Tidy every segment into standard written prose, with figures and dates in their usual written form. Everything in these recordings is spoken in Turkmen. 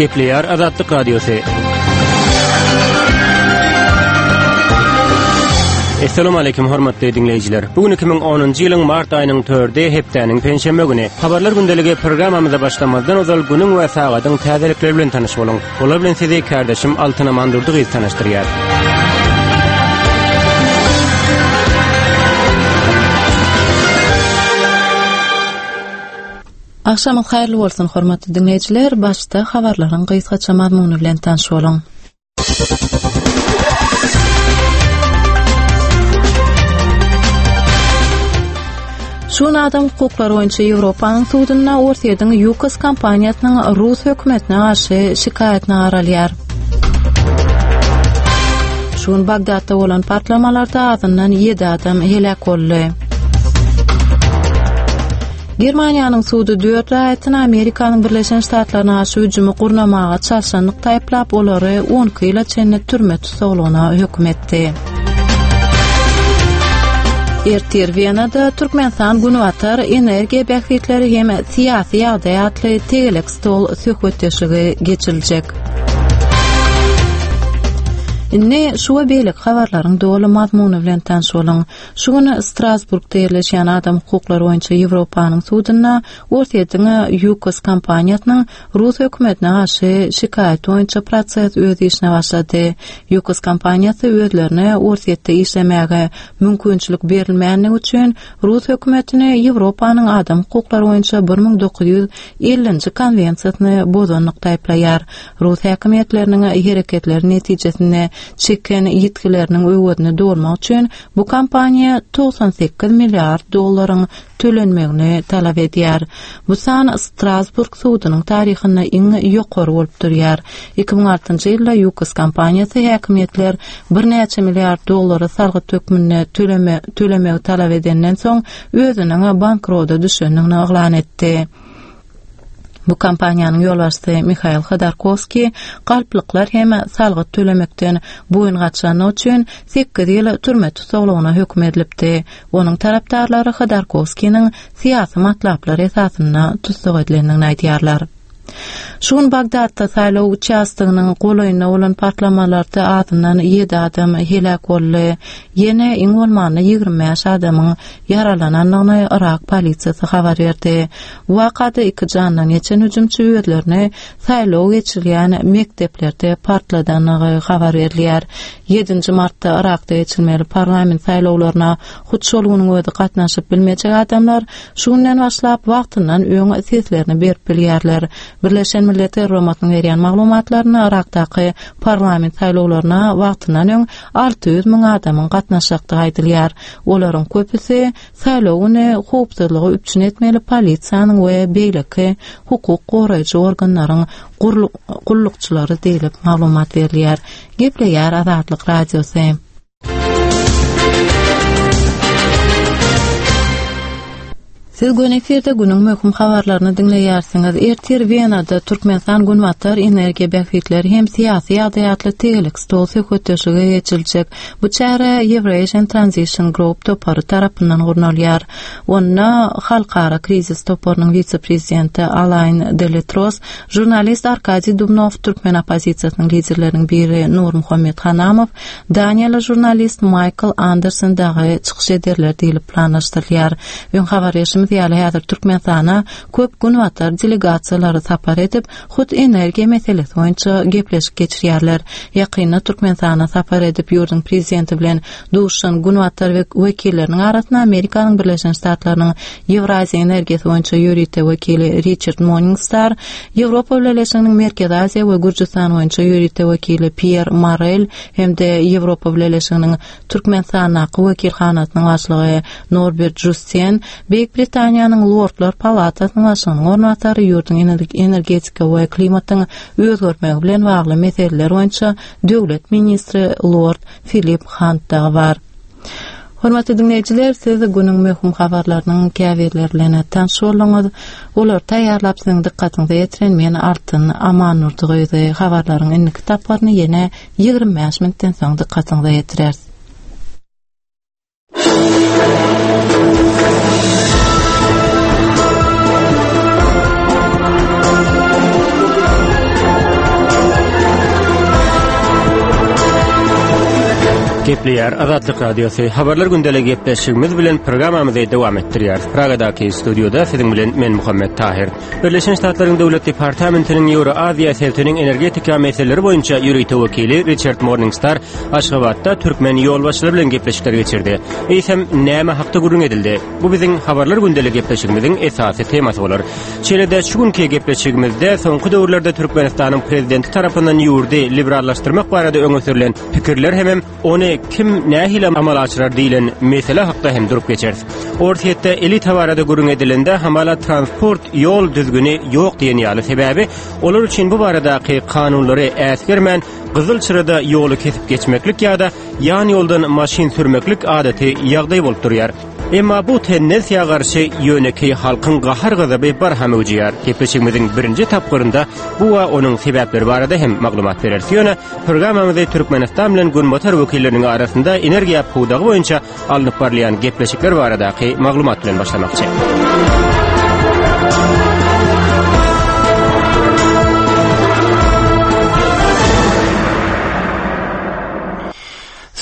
Gepleýär Azatlyk Radiosy. Essalamu aleýkum hormatly diňleýjiler. Bu gün 2010-njy ýylyň mart aýynyň 4-i hepdäniň penşenbe güni. Habarlar gündeligi programmamyza başlamazdan ozal günüň we sagadyň täzelikleri bilen tanyş boluň. Olar bilen sizi kärdeşim Altyn Amandurdy gyz tanyşdyrýar. Agşamyňyz haýyrly bolsun, hormatly diňleýjiler! Başda habarlaryň gysgaça mazmuny bilen tanyş boluň. Şu gün adam hukuklary boýunça Ýewropanyň sudunda Orsýetiň Ýukos kompaniýasynyň rus hökümetine garşy şikaýatyna garalýar. Şu gün Bagdatda bolan partlamalarda azyndan 7 adam heläk boldy. Germaniýanyň sudy dört raýatyny Amerikanyň Birleşen Ştatlaryna garşy hüjümi gurnamaga çalşanlykda aýyplap, olary 12 ýyla çenli türme tussaglygyna höküm etdi. Ertir Wenada Türkmenistan Günbatar energiýa bähbitleri hem syýasy ýagdaý atly tegelek stol söhbetdeşligi geçiriljek. Indi şu we beýleki habarlaryň doly mazmuny bilen tanyş boluň. Şu gün Strasburgda ýerleşýän adam hukuklary boýunça Ýewropanyň sudunda Orsýetiň Ýukos kompaniýasynyň rus hökümetine garşy şikaýaty boýunça proses öz işine başlady. Ýukos kompaniýasy özlerine Orsýetde işlemäge mümkinçilik berilmänligi üçin rus hökümetini Ýewropanyň adam hukuklary boýunça 1950-nji konwensiýasyny bozanlykda aýyplaýar. Rus häkimiýetleriniň hereketleri netijesinde çeken ýitgileriniň öwezini dolmak üçin bu kompaniýa 98 milliard dollaryň tölenmegini talap edýär. Bu san Strasburg sudunyň taryhynda iň ýokary bolup durýar. 2006-njy ýylda Ýukos kompaniýasy häkimiýetler birnäçe milliard dollary salgyt hökmünde töleme tölemegi talap edenden soň özüniň bankrota düşendigini yglan etdi. Bu kompaniýanyň ýolbaşçysy Mihail Hodorkowskiý galplyklar hem salgyt tölemekden boýun gaçandygy üçin sekiz ýyl türme tussaglygyna höküm edilipdi. Onuň tarapdarlary Hodorkowskiniň syýasy matlaplar esasynda tussag edilendigini aýdýarlar. Şu gün Bagdatda saýlaw uçastogynyň golaýynda bolan partlamalarda azyndan ýedi adam heläk boldy. Ýene iň bolmanda 25 adamyň ýaralanandygyny Yrak polisiýasy habar berdi. Bu wakada iki jandan geçen hüjümçi özlerini saýlaw geçirilýän mekdeplerde partladandygy habar berilýär. Ýedinji martda Yrakda geçirilmeli parlament saýlawlaryna hut şol günüň özi gatnaşyp bilmejek adamlar şu günden başlap wagtyndan öň seslerini berip bilýärler. Birleşen Milletler Guramasynyň berýän maglumatlarynda Yrakdaky parlament saýlawlaryna wagtyndan öň 600 müň adamyň gatnaşjakdygy aýdylýar. Olaryň köpüsi saýlaw güni howpsuzlygy üpjün etmeli polisiýanyň we beýleki hukuk goraýjy organlaryň gullukçylary diýlip maglumat berilýär. Gepleýär Azatlyk Radiosy. Siz göni efirde günüň möhüm habarlaryny diňleýärsiňiz. Ertir Wenada Türkmenistan Günbatar energiýa bähbitleri hem syýasy ýagdaý atly tegelek stol söhbetdeşligi geçiriljek. Bu çäre Eurasian Transition Group topary tarapyndan gurnalýar. Onda Halkara krizis toparynyň wise-prezidenti Alain Deletros, žurnalist Arkadiý Dubnow, türkmen oppozisiýasynyň liderleriniň biri Nurmuhammet Hanamow, Daniýaly žurnalist Maýkl Anderson dagy çykyş ederler diýlip planlaşdyrylýar. Öň habar berşimiz ýaly, häzir Türkmenistana köp günbatar delegasiýalary sapar edip, hut energiýa meselesi boýunça gepleşik geçirýärler. Ýakynda Türkmenistana sapar edip, ýurduň prezidenti bilen duşuşan günbatar wekilleriniň arasynda Amerikanyň Birleşen Ştatlarynyň Ýewraziýa energiýasy boýunça ýörite wekili Riçard Morningstar, Ýewropa Bileleşiginiň Merkezi Aziýa we Gürjüstan boýunça ýörite wekili Pýer Morel hem-de Ýewropa Bileleşiginiň Türkmenistandaky wekilhanasynyň başlygy Norbert Žusten, Beýik Britaniýanyň Lordlar palatasynyň başlygynyň orunbasary, ýurduň energetika we klimatyň özgermegi bilen bagly meseleler boýunça döwlet ministri Lord Filip Hant dagy bar. Hormatly diňleýjiler, siz günüň möhüm habarlarynyň käbirleri bilen tanyş bolduňyz. Olary taýýarlap siziň dykgatyňyza ýetiren men Altyn Amannurdy gyzy. Habarlaryň indiki tapgyryny ýene 25 minutdan soň dykgatyňyza ýetireris. Gepleýär Azatlyk Radiosy. Habarlar gündeligi gepleşigimiz bilen programmamyzy dowam etdirýäris. Pragadaky studiýada siziň bilen men Muhammet Tahyr. Birleşen Ştatlaryň Döwlet departamentiniň Ýewroaziýa sebitiniň energetika meseleleri boýunça ýörite wekili Riçard Morningstar Aşgabatda türkmen ýolbaşçylary bilen gepleşikler geçirdi. Eýsem, näme hakda gürrüň edildi? Bu biziň Habarlar gündeligi gepleşigimiziň esasy temasy bolar. Şeýle-de şu günki gepleşigimizde soňky döwürlerde Türkmenistanyň prezidenti tarapyndan ýurdy liberallaşdyrmak barada öňe sürlen pikirler hemem ony kim nähili amala aşyrar diýlen mesele hakda hem durup geçeris. Orsýetde elita barada gürrüň edilende hamala transport ýol düzgüni ýok diýen ýaly sebäbi olar üçin bu baradaky kanunlary äsgermän gyzyl çyrada ýoly kesip geçmeklik ýa-da ýan ýoldan maşyn sürmeklik adaty ýagdaý bolup durýar. Emma bu tendensiýa garşy ýönekeý halkyň gahar-gazaby barha möwjeýär. Gepleşigimiziň birinji tapgyrynda bu we onuň sebäpleri barada hem maglumat bereris. Ýöne programmamyzy Türkmenistan bilen Günbatar wekilleriniň arasynda energiýa pudagy boýunça alnyp barylýan gepleşikler baradaky maglumat bilen başlamakçy.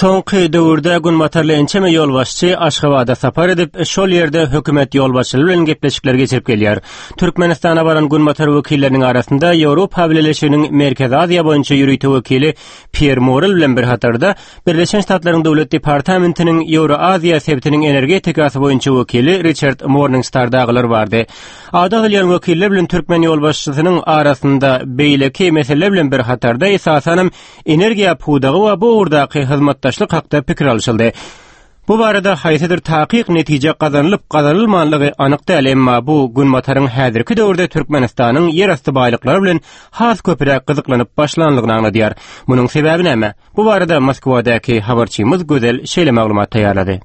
Soňky döwürde günbatarly ençeme ýolbaşçy Aşgabada sapar edip, şol ýerde hökümet ýolbaşçylary bilen gepleşikler geçirip gelýär. Türkmenistana baran günbatar wekilleriniň arasynda Ýewropa Bileleşiginiň Merkezi Aziýa boýunça ýörite wekili Pýer Morel bilen bir hatarda Birleşen Ştatlaryň Döwlet departamentiniň Ýewroaziýa sebitiniň energetikasy boýunça wekili Riçard Morningstar dagylar bardy. Ady agzalýan wekiller bilen türkmen ýolbaşçysynyň arasynda beýleki meseleler bilen bir hatarda esasanam Energiýa pudagy we bu ugurdaky hyzmatdaşlyk hakda pikir alşyldy. Bu barada haýsydyr takyk netije gazanylyp-gazanylmanlygy anyk däl, emma bu Günbataryň häzirki döwürde Türkmenistanyň ýerasty baýlyklary bilen has köpräk gyzyklanyp başlanlygyny aňladýar. Munuň sebäbi näme? Bu barada Moskwadaky habarçymyz Gözel şeýle maglumat taýýarlady.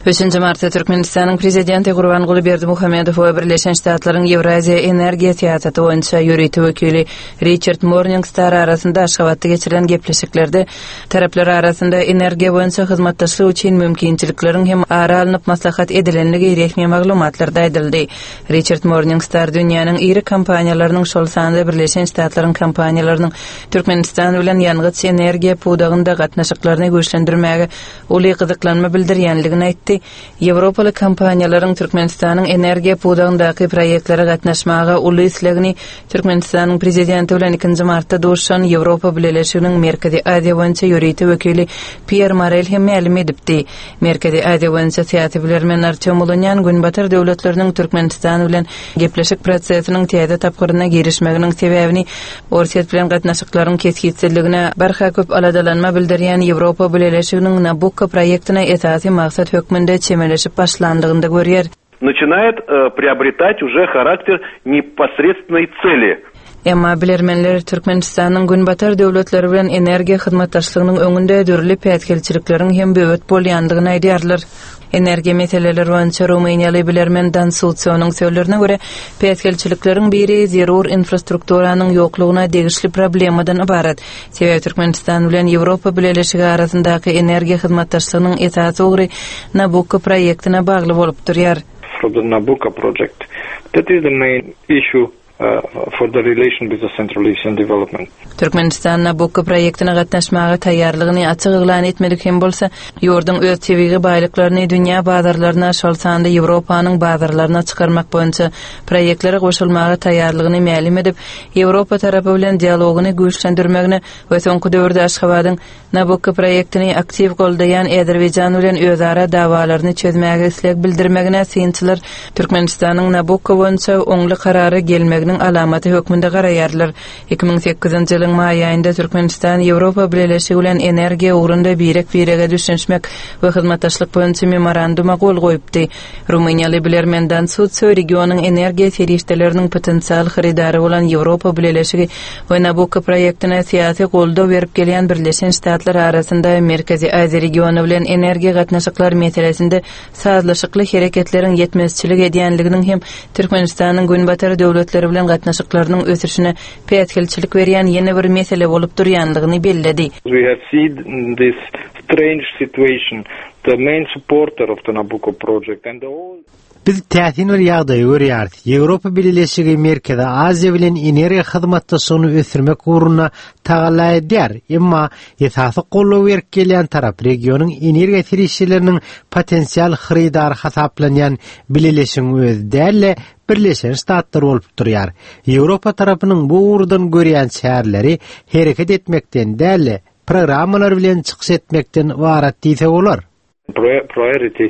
Üçünji martda Türkmenistanyň Prezidenti Gurbanguly Berdimuhamedow we Birleşen Ştatlaryň Ýewraziýa energiýa syýasaty boýunça ýörite wekili Riçard Morningstar arasynda Aşgabatda geçirilen gepleşiklerde taraplar arasynda energiýa boýunça hyzmatdaşlyk üçin mümkinçilikleriň hem ara alnyp maslahat edilendigi resmi maglumatlarda aýdyldy. Riçard Morningstar dünýäniň iri kompaniýalarynyň, şol sanda Birleşen Ştatlaryň kompaniýalarynyň Türkmenistan bilen ýangyç-energiýa pudagynda gatnaşyklaryny güýçlendirmäge uly gyzyklanma bildirýändigini aýtdy. Ýewropaly kompaniýalaryň Türkmenistanyň energiýa pudagyndaky proýektlere gatnaşmaga uly islegini Türkmenistanyň Prezidenti bilen ikinji martda duşuşan Ýewropa Bileleşiginiň Merkezi Aziýa boýunça ýörite wekili Pýer Morel hem mälim edipdi. Merkezi Aziýa boýunça syýasy bilermen Artýom Ulunýan Günbatar döwletleriniň Türkmenistan bilen gepleşik prosesiniň täze tapgyryna girişmeginiň sebäbini Orsýet bilen gatnaşyklaryň kesgitsizligine barha köp aladalanma bildirýän Ýewropa Bileleşiginiň Nabukko proýektine esasy maksat hökmünde çemeleşip başlandygynda görýär. Начинает приобретать уже характер непосредственной цели. Emma bilermenler Türkmenistanyň Günbatar döwletleri bilen energiýa hyzmatdaşlygynyň öňünde dürli päsgelçilikleriň hem böwet bolýandygyny aýdýarlar. Energiýa meseleleri boýunça rumyniýaly bilermen Dan Sutsionyň sözlerine görä, päsgelçilikleriň biri zerur infrastrukturanyň ýoklugyna degişli problemadan ybarat. Sebäbi Türkmenistan bilen Ýewropa Bileleşigi arasyndaky energiýa hyzmatdaşlygynyň esasy ugry Nabukko proýektine bagly bolup durýar. For the Nabucco project. That is the main issue for the relation with the Central Asian development. Türkmenistan Nabukko proýektine gatnaşmaga taýýarlygyny açyk yglan etmedik hem bolsa, ýurduň öz tebigy baýlyklaryny dünýä bazarlaryna, şol sanda Ýewropanyň bazarlaryna çykarmak boýunça proýektlere goşulmaga taýýarlygyny mälim edip, Ýewropa tarapy bilen dialogyny güýçlendirmegine we soňky döwürde Aşgabadyň Nabukko proýektini aktiw goldaýan Azerbaýjan bilen özara dawalaryny çözmäge isleg bildirmegine synçylar Türkmenistanyň Nabukko boýunça oňly karara gelmeginiň alamaty hökmünde garaýarlar. 2008-nji ýylyň maý aýynda Türkmenistan Ýewropa Bileleşigi bilen energiýa ugrunda birek-birege düşünişmek we hyzmatdaşlyk boýunça memoranduma gol goýupdy. Rumyniýaly bilermen Dan Sutsio regionyň energiýa serişdeleriniň potensial hyrydary bolan Ýewropa Bileleşigi we Nabukko proýektine syýasy goldaw berip gelýän Birleşen Ştatlar arasynda Merkezi Aziýa regiony bilen energiýa gatnaşyklar meselesinde sazlaşykly hereketleriň ýetmezçilik edýänliginiň hem Türkmenistanyň Günbatar döwletleri bilen gatnaşyklarynyň ösüşine päsgelçilik berýän ýene bir mesele bolup durýanlygyny belledi. We have seen this strange situation, the main supporter of the Nabucco project and the all. Biz täsin bir ýagdaýy görýäris. Ýewropa Bileleşigi Merkezi Aziýa bilen energiýa hyzmatdaşlygyny ösdürmek ugrunda tagalla edýär. Emma esasy goldaw berip gelýän tarap regionyň energiýa serişdeleriniň potensial hyrydary hasaplanýan Bileleşigiň özi däl-de, Birleşen Ştatlar bolup durýar. Ýewropa tarapynyň bu ugurdan görýän çäreleri hereket etmekden däl-de, programmalar bilen çykyş etmekden ybarat diýse bolar. Priority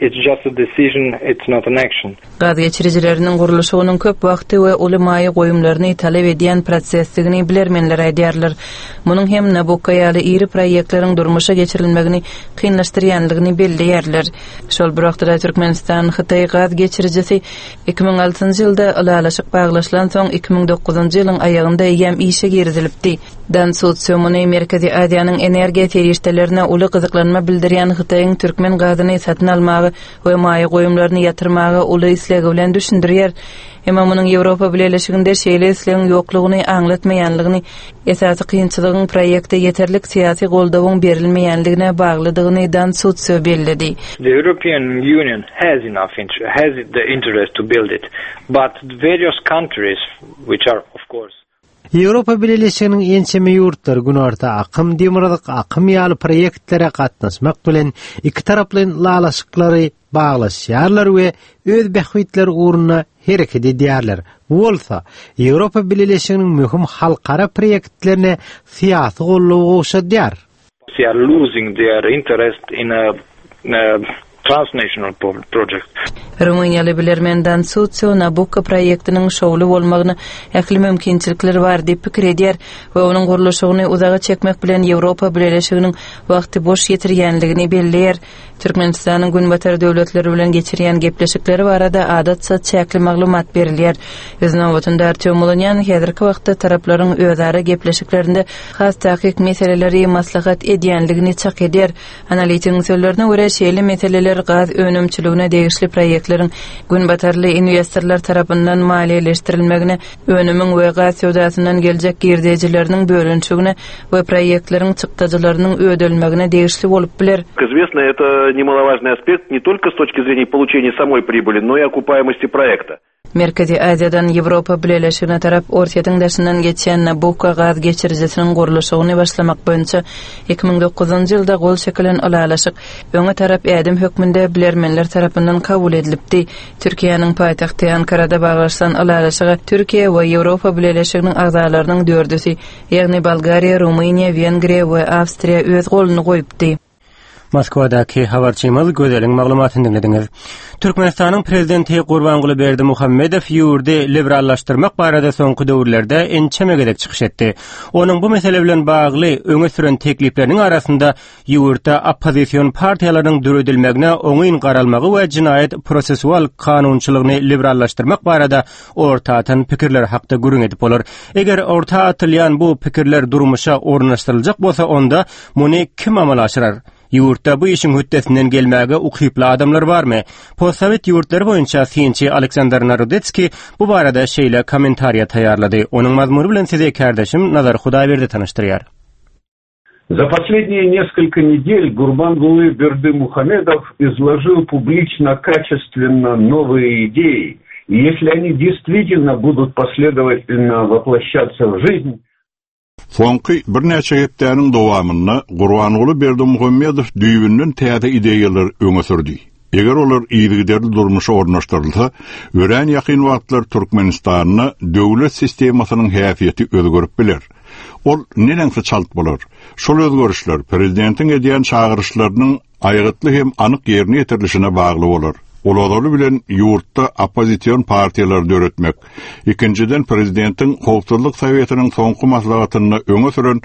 It's just a decision, it's not an action. Gaz geçirijileriniň gurluşygynyň köp wagty we uly maýa goýumlaryny talap edýän prosesdigini bilermenler aýdýarlar. Munuň hem Nabukko ýaly iri proýektleriň durmuşa geçirilmegini kynlaşdyrýandygyny belleýärler. Şol bir wagtda-da Türkmenistan-Hytaý gaz geçirijisi 2006-njy ýylda ylalaşyk baglaşylansoň, 2009-njy ýylyň aýagynda eýýäm işe girizilipdi. Dan Sutsýo muny Merkezi Aziýanyň energiýa serişdelerine uly gyzyklanma bildirýän Hytaýyň türkmen gazyny satyn almaga we maýa goýumlaryny ýatyrmaga uly islegi bilen düşündirýär. Emma munuň Ýewropa Bileleşiginde şeýle islegiň ýoklugyny aňlatmaýanlygyny, esasy kynçylygyň proýekte ýeterlik syýasy goldawyň berilmeýänligine baglydygyny Dan Sutsýo belledi. The European Union has enough has the interest to build it, but various countries, which are of course. Ýewropa Bileleşiginiň ençeme ýurtlary Günorta akym, Demirgazyk akym ýaly proýektlere gatnaşmak bilen ikitaraplaýyn ylalaşyklary baglaşýarlar we öz bähbitleri ugrunda hereket edýärler. Bu bolsa, Ýewropa Bileleşiginiň möhüm halkara proýektlerine syýasy goldawy gowşadýar. They are losing their interest in a transnational project. Rumyniýaly bilermen Dan Sutsio Nabukko proýektiniň şowly bolmagyna ähli mümkinçilikler bar diýip pikir edýär we onuň gurluşygyny uzaga çekmek bilen Ýewropa Bileleşiginiň wagty boş ýitirýänligini belleýär. Türkmenistanyň Günbatar döwletleri bilen geçirýän gepleşikleri barada adatça çäkli maglumat berilýär. Öz nobatynda Artýom Mulunýan häzirki wagtda taraplaryň özara gepleşiklerinde has takyk meseleleri maslahat edýänligini çak edýär. Analitigiň sözlerine görä, şeýle meseleler gaz önümçiligine degişli proýektleriň günbatarly inwestorlar tarapyndan maliýeleşdirilmegine, önümiň we gaz söwdasyndan geljek girdejileriniň bölünişigine we proýektleriň çykdajylarynyň ödelmegine degişli bolup biler. Как известно, это немаловажный aspekt не только с точки зрения получения самой прибыли, но и окупаемости проекта. Merkezi Aziýadan Ýewropa Bileleşigine tarap Orsýetiň daşyndan geçýän Nabukko gaz geçirijisiniň gurluşygyny başlamak boýunça 2009-njy ýylda gol çekilen ylalaşyk öňe tarap ädim hökmünde bilermenler tarapyndan kabul edilipdi. Türkiýäniň paýtagty Ankarada baglaşylan ylalaşyga Türkiýe we Ýewropa Bileleşiginiň agzalarynyň dördüsi, ýagny Bolgariýa, Rumyniýa, Wengriýa we Awstriýa öz goluny goýupdy. Moskwadaky habarçymyz Gözeliň maglumatyny diňlediňiz. Türkmenistanyň prezidenti Gurbanguly Berdimuhamedow ýurdy liberallaşdyrmak barada soňky döwürlerde ençeme gezek çykyş etdi. Onuň bu mesele bilen bagly öňe süren teklipleriniň arasynda ýurtda oppozision partiýalarynyň döredilmegine oňyn garalmagy we jenaýat prosessual kanunçylygyny liberallaşdyrmak barada orta atan pikirler hakda gürrüň edip bolar. Eger orta atylýan bu pikirler durmuşa ornaşdyryljak bolsa, onda muny kim amala aşyrar? Ýurtda bu işiň hötdesinden gelmäge ukyply adamlar barmy? Postsowet ýurtlary boýunça synçy Aleksandr Narodetskiý bu barada şeýle kommentariýa taýýarlady. Onuň mazmuny bilen sizi kärdeşim Nazar Hudaýberdi tanyşdyrýar. За последние несколько недель Гурбангулы Бердымухамедов изложил публично качественно новые идеи. И если они действительно будут последовательно воплощаться в жизнь, Soňky birnäçe hepdäniň dowamynda Gurbanguly Berdimuhamedow düýbünden täze ideýalary öňe sürdi. Eger olar yzygiderli durmuşa ornaşdyrylsa, örän ýakyn wagtlar Türkmenistanda döwlet sistemasynyň häsiýeti özgerip biler. Ol neneňsi çalt bolar? Şol özgerişler prezidentiň edýän çagyryşlarynyň aýgytly hem anyk ýerine ýetirilişine bagly bolar. Ol ozaly bilen ýurtda oppozision partiýalary döretmek, ikinjiden prezidentiň Howpsuzlyk Sowetiniň soňky maslahatynda öňe süren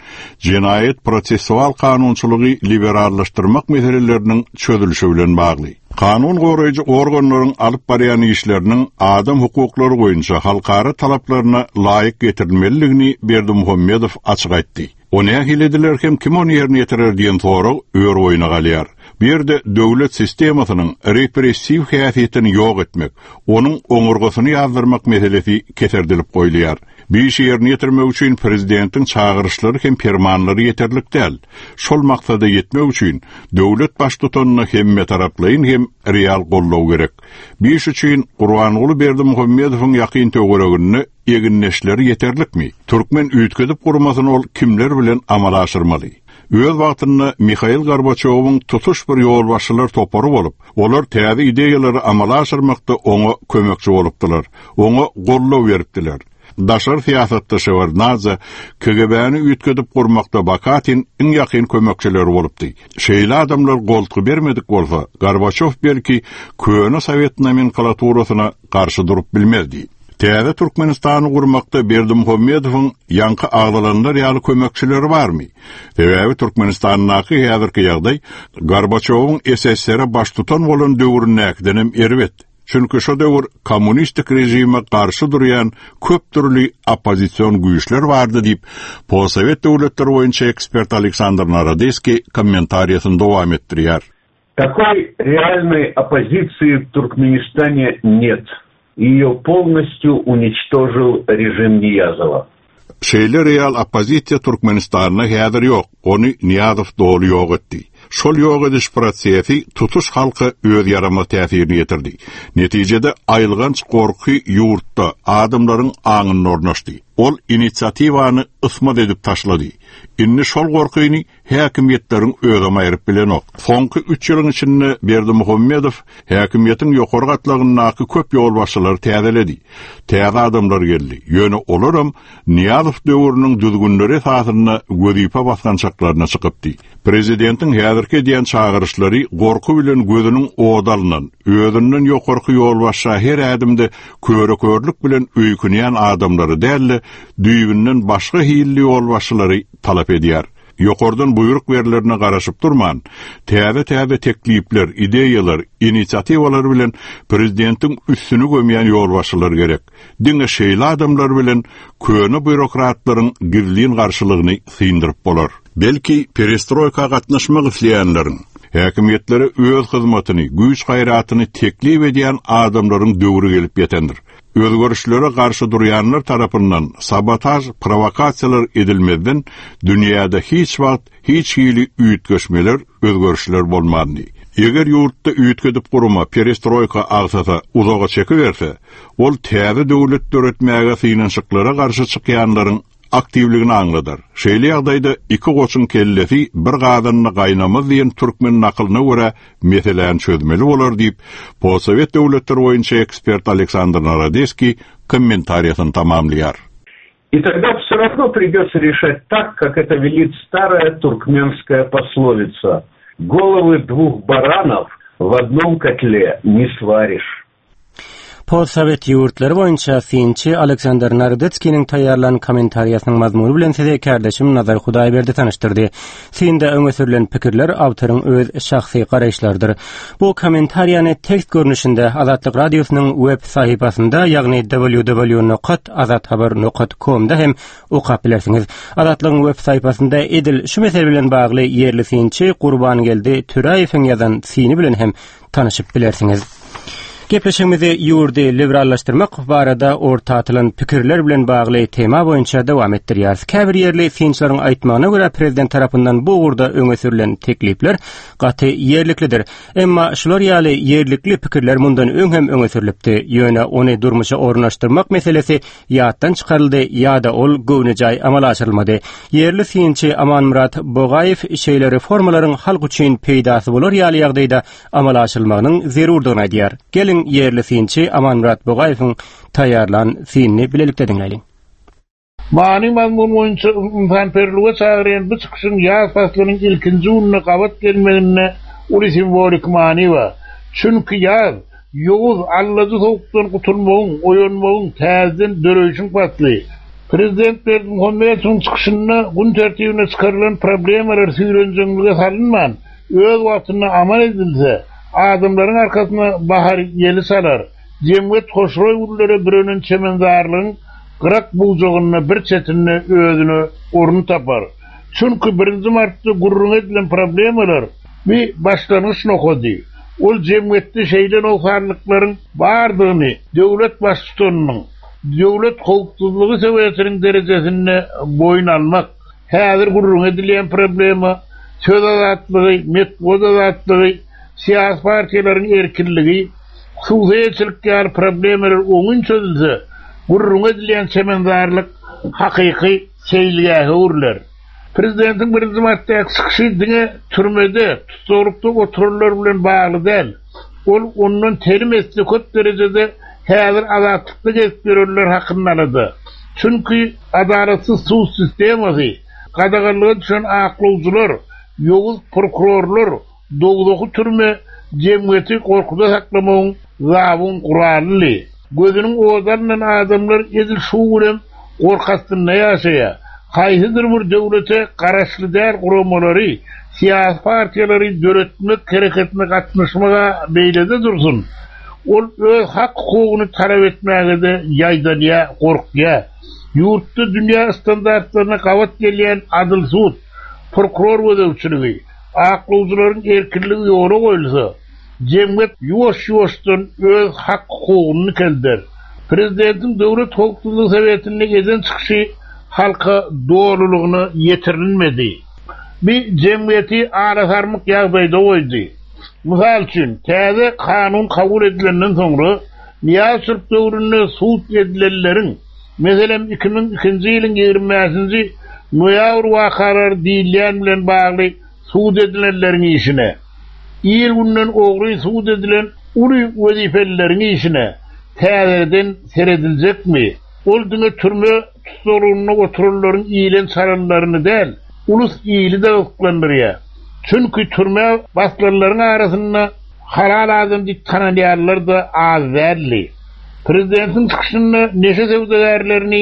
jenaýat-prosessual kanunçylygy liberallaşdyrmak meseleleriniň çözülişi bilen bagly. Kanun goraýjy organlaryň alyp barýan işleriniň adam hukuklary boýunça halkara talaplaryna laýyk getirilmelidigini Berdimuhamedow açyk aýtdy. O nähili ediler hem kim ony ýerine ýetirer diýen sorag ör-boýuna galýar. Bu ýerde döwlet sistemasynyň repressiw häsiýetini ýok etmek, onuň oňurgasyny ýazdyrmak meselesi keserdilip goýulýar. Bu işi ýerine ýetirmek üçin prezidentiň çagyryşlary hem permanlary ýeterlik däl. Şol maksada ýetmek üçin döwlet baştutanyna hemmetaraplaýyn hem real goldaw gerek. Bu iş üçin Gurbanguly Berdimuhamedowyň ýakyn töwereginde egindeşleri ýeterlikmi? Türkmen üýtgedip gurmasyny ol kimler bilen amala aşyrmaly? Öz wagtynda Mihail Gorbaçýowyň tutuş bir ýolbaşçylar topary bolup, olar täze ideýalary amala aşyrmakda oňa kömekçi bolupdylar, oňa goldaw beripdiler. Daşary syýasatda Şewardnadze, KGB-ni üýtgedip gurmakda Bakatin iň ýakyn kömekçileri bolupdy. Şeýle adamlar goltgy bermedik bolsa, Gorbaçýow belki köne sowet nomenklaturasyna garşy durup bilmezdi. Täze Türkmenistany gurmakda Berdimuhamedowyň ýaňky agzalanlar ýaly kömekçileri barmy? Sebäbi Türkmenistandaky häzirki ýagdaý Gorbaçýowyň SSR-e baştutan bolan döwründäkidenem erbet. Çünki şo döwür kommunistik režime garşy durýan köp dürli oppozision güýçler bardy diýip, postsowet döwletleri boýunça ekspert Aleksandr Narodeskiý kommentariýasyny dowam etdirýär. Такой реальной оппозиции в Туркменистане нет. Ее полностью уничтожил режим Ниязова. Şeýle real oppozisiýa Türkmenistanda häzir ýok, ony Nyýazow doly ýok etdi. Şol ýok ediş prosesi tutuş halka öz ýaramaz täsirini ýetirdi. Netijede aýylganç gorky ýurtda, adamlaryň aňynda ornaşdy. Ol inisiatiwany ysmaz edip taşlady. Indi şol gorkyny Häkimiýetleriň özem aýryp bilenok. Soňky üç ýylyň içinde Berdimuhamedow häkimiýetiň ýokary gatlagyndaky köp ýolbaşçylary täzeledi. Täze adamlar geldi. Ýöne olaram Nyýazow döwrüniň düzgünleri esasynda wezipe basgançaklaryna çykypdy. Prezidentiň häzirki edýän çagyryşlary gorky bilen gözüniň ody alnan, özünden ýokarky ýolbaşça her ädimde köre-körlük bilen öýkünýän adamlary däl-de, düýbünden başga hilli ýolbaşçylary talap edýär. Ýokardan buýruk berlerine garaşyp durman, täze-täze teklipler, ideýalar, inisiatiwalar bilen prezidentiň üstüni gömýän ýolbaşçylar gerek. Diňe şeýle adamlar bilen köne býurokratlaryň gizlin garşylygyny syndyryp bolar. Belki, perestroýka gatnaşmak isleýänleriň, häkimiýetlere öz hyzmatyny, güýç-gaýratyny teklip edýän adamlaryň döwri gelip ýetendir. Özgerişlere garşy durýanlar tarapyndan sabotaž, prowokasiýalar edilmezden dünýäde hiç wagt hiç hili üýtgeşmeler, özgerişler bolmandy. Eger ýurtda üýtgedip gurma, perestroýka agsasa, uzaga çekiberse, ol täze döwlet döretmäge synanyşyklara garşy çykýanlaryň aktiwligini aňladar. Şeýle ýagdaýda iki goçuň kellesi bir gazanda gaýnamaz diýen türkmen nakylyna görä meseläni çözmeli bolar diýip, postsowet döwletleri boýunça ekspert Aleksandr Narodeskiý kommentariýasyny tamamlaýar. И тогда все равно придется решать так, как это велит старая туркменская пословица. Головы двух баранов в одном котле не сваришь. Postsowet ýurtlary boýunça synçy Aleksandr Narodetskiniň taýýarlan kommentariýasynyň mazmuny bilen sizi kärdeşim Nazar Hudaýberdi tanyşdyrdy. Synda öňe sürlen pikirler awtoryň öz şahsy garaýyşlarydyr. Bu kommentariýany tekst görnüşinde Azatlyk Radiosynyň web sahypasynda, ýagny www nokat azathabar nokat komda hem okap bilersiňiz. Azatlygyň web sahypasynda edil şu mesele bilen bagly ýerli synçy Gurbangeldi Töräýewiň ýazan syny bilen hem tanyşyp bilersiňiz. Gepleşigimizi ýurdy liberallaşdyrmak barada orta atylan pikirler bilen bagly tema boýunça dowam etdirýäris. Käbir ýerli synçylaryň aýtmagyna görä, prezident tarapyndan bu ugurda öňe sürlen teklipler gaty ýerliklidir. Emma şular ýaly ýerlikli pikirler mundan öň hem öňe sürlüpdi. Ýöne ony durmuşa ornaşdyrmak meselesi ýatdan çykaryldy ýa-da ol göwnejaý amala aşyrylmady. Ýerli synçy Amanmyrat Bogaýew şeýle reformalaryň halk üçin peýdasy bolar ýaly ýagdaýda amala aşyrylmagynyň zerurdygyny aýdýar. Geliň, ýerli synçy Amanmyrat Bogaýewiň taýýarlan synyny bilelikde diňläliň. Many-mazmun boýunça ynsanperwerlige çagyrýan bu çykyşyň ýaz paslynyň ilkinji gününe gabat gelmeginde uly simwoliki many bar. Çünki ýaz, Ýowuz, allajy sowukdan gutulmagyň, oýanmagyň, täzeden döreýşiň pasly. Prezident Berdimuhamedowyň çykyşynda gün tertibine çykarylan problemalar süýrenjeňlige salynman, öz wagtynda amal edilse, adamlaryň arkasyna bahar ýeli çalar, jemgyýet hoşroý güllere bürenen çemenzarlygyň gyrak-bujagynda bir çetinde özüne orun tapar. Çünki birinji martda gürrüňi edilen problemalar bi başlangyç nokady. Ol jemgyýetde şeýle nogsanlyklaryň bardygyny döwlet baştutanynyň. Döwlet howpsuzlygy sowetiniň derejesinde boýun almak. Häzir gürrüňi edilýän problema, söz azatlygy, metbugat azatlygy, syýasy partiýalaryň erkinligi, hususy eýeçilik ýaly problemalar oňyn çözülse, gürrüňi edilýän çemenzarlyk hakyky seýilgähe öwrüler. Prezidentiň birinji martdaky çykyşy diňe türmede, tussaglykda oturanlar bilen bagly däl. Ol ondan telim esse köp derejede häzir azatlykda gezip ýörenler hakynda alada. Çünki adalatsyz sud sistemasy, gadaganlyga düşen aklawjylar, ýowuz prokurorlar, Dowzahy türme jemgyýeti gorkuda saklamagyň zabun guralydy. Gözüniň ody alnan adamlar edil şu günem gorky astynda ýaşaýar. Haýsydyr bir döwlete garaşly däl guramalary, syýasy partiýalary döretmek hereketine gatnaşmag-a beýlede dursun, ol öz hak-hukugyny talap etmäge-de ýaýdanýar, gorkýar. Ýurtda dünýä standartlaryna gabat gelýän adyl sud, prokuror gözegçiligi, Aklawjylaryň erkinligi ýola goýulsa, jemgyýet ýuwaş-ýuwaşdan öz hak-hukugyny dikelder. Prezidentiň Döwlet howpsuzlygy sowetinde eden çykyşy halka dolulygyna ýetirilmedi. Bi jemgyýeti arasarmyk ýagdaýda goýdy. Mysal üçin, täze kanun kabul edilenden soňra, Nyýazow döwründe sud edilenleriň, meselem, 2002-nji ýylyň 25-nji noýabr wakalary diýilýän bilen bagly sud edilenleriň işine, ir günden ogry sud edilen uly wezipelileriň işine täzeden serediljekmi? Ol diňe türme tussaglygynda oturanlaryň iýlen çalanlaryny däl, ulus ili-de gyzyklandyrýar. Çünki türmä basylanlaryň arasynda halal adam diýip tanalýanlar-da az däldi. Prezidentiň çykyşynda neşe söwdagärlerini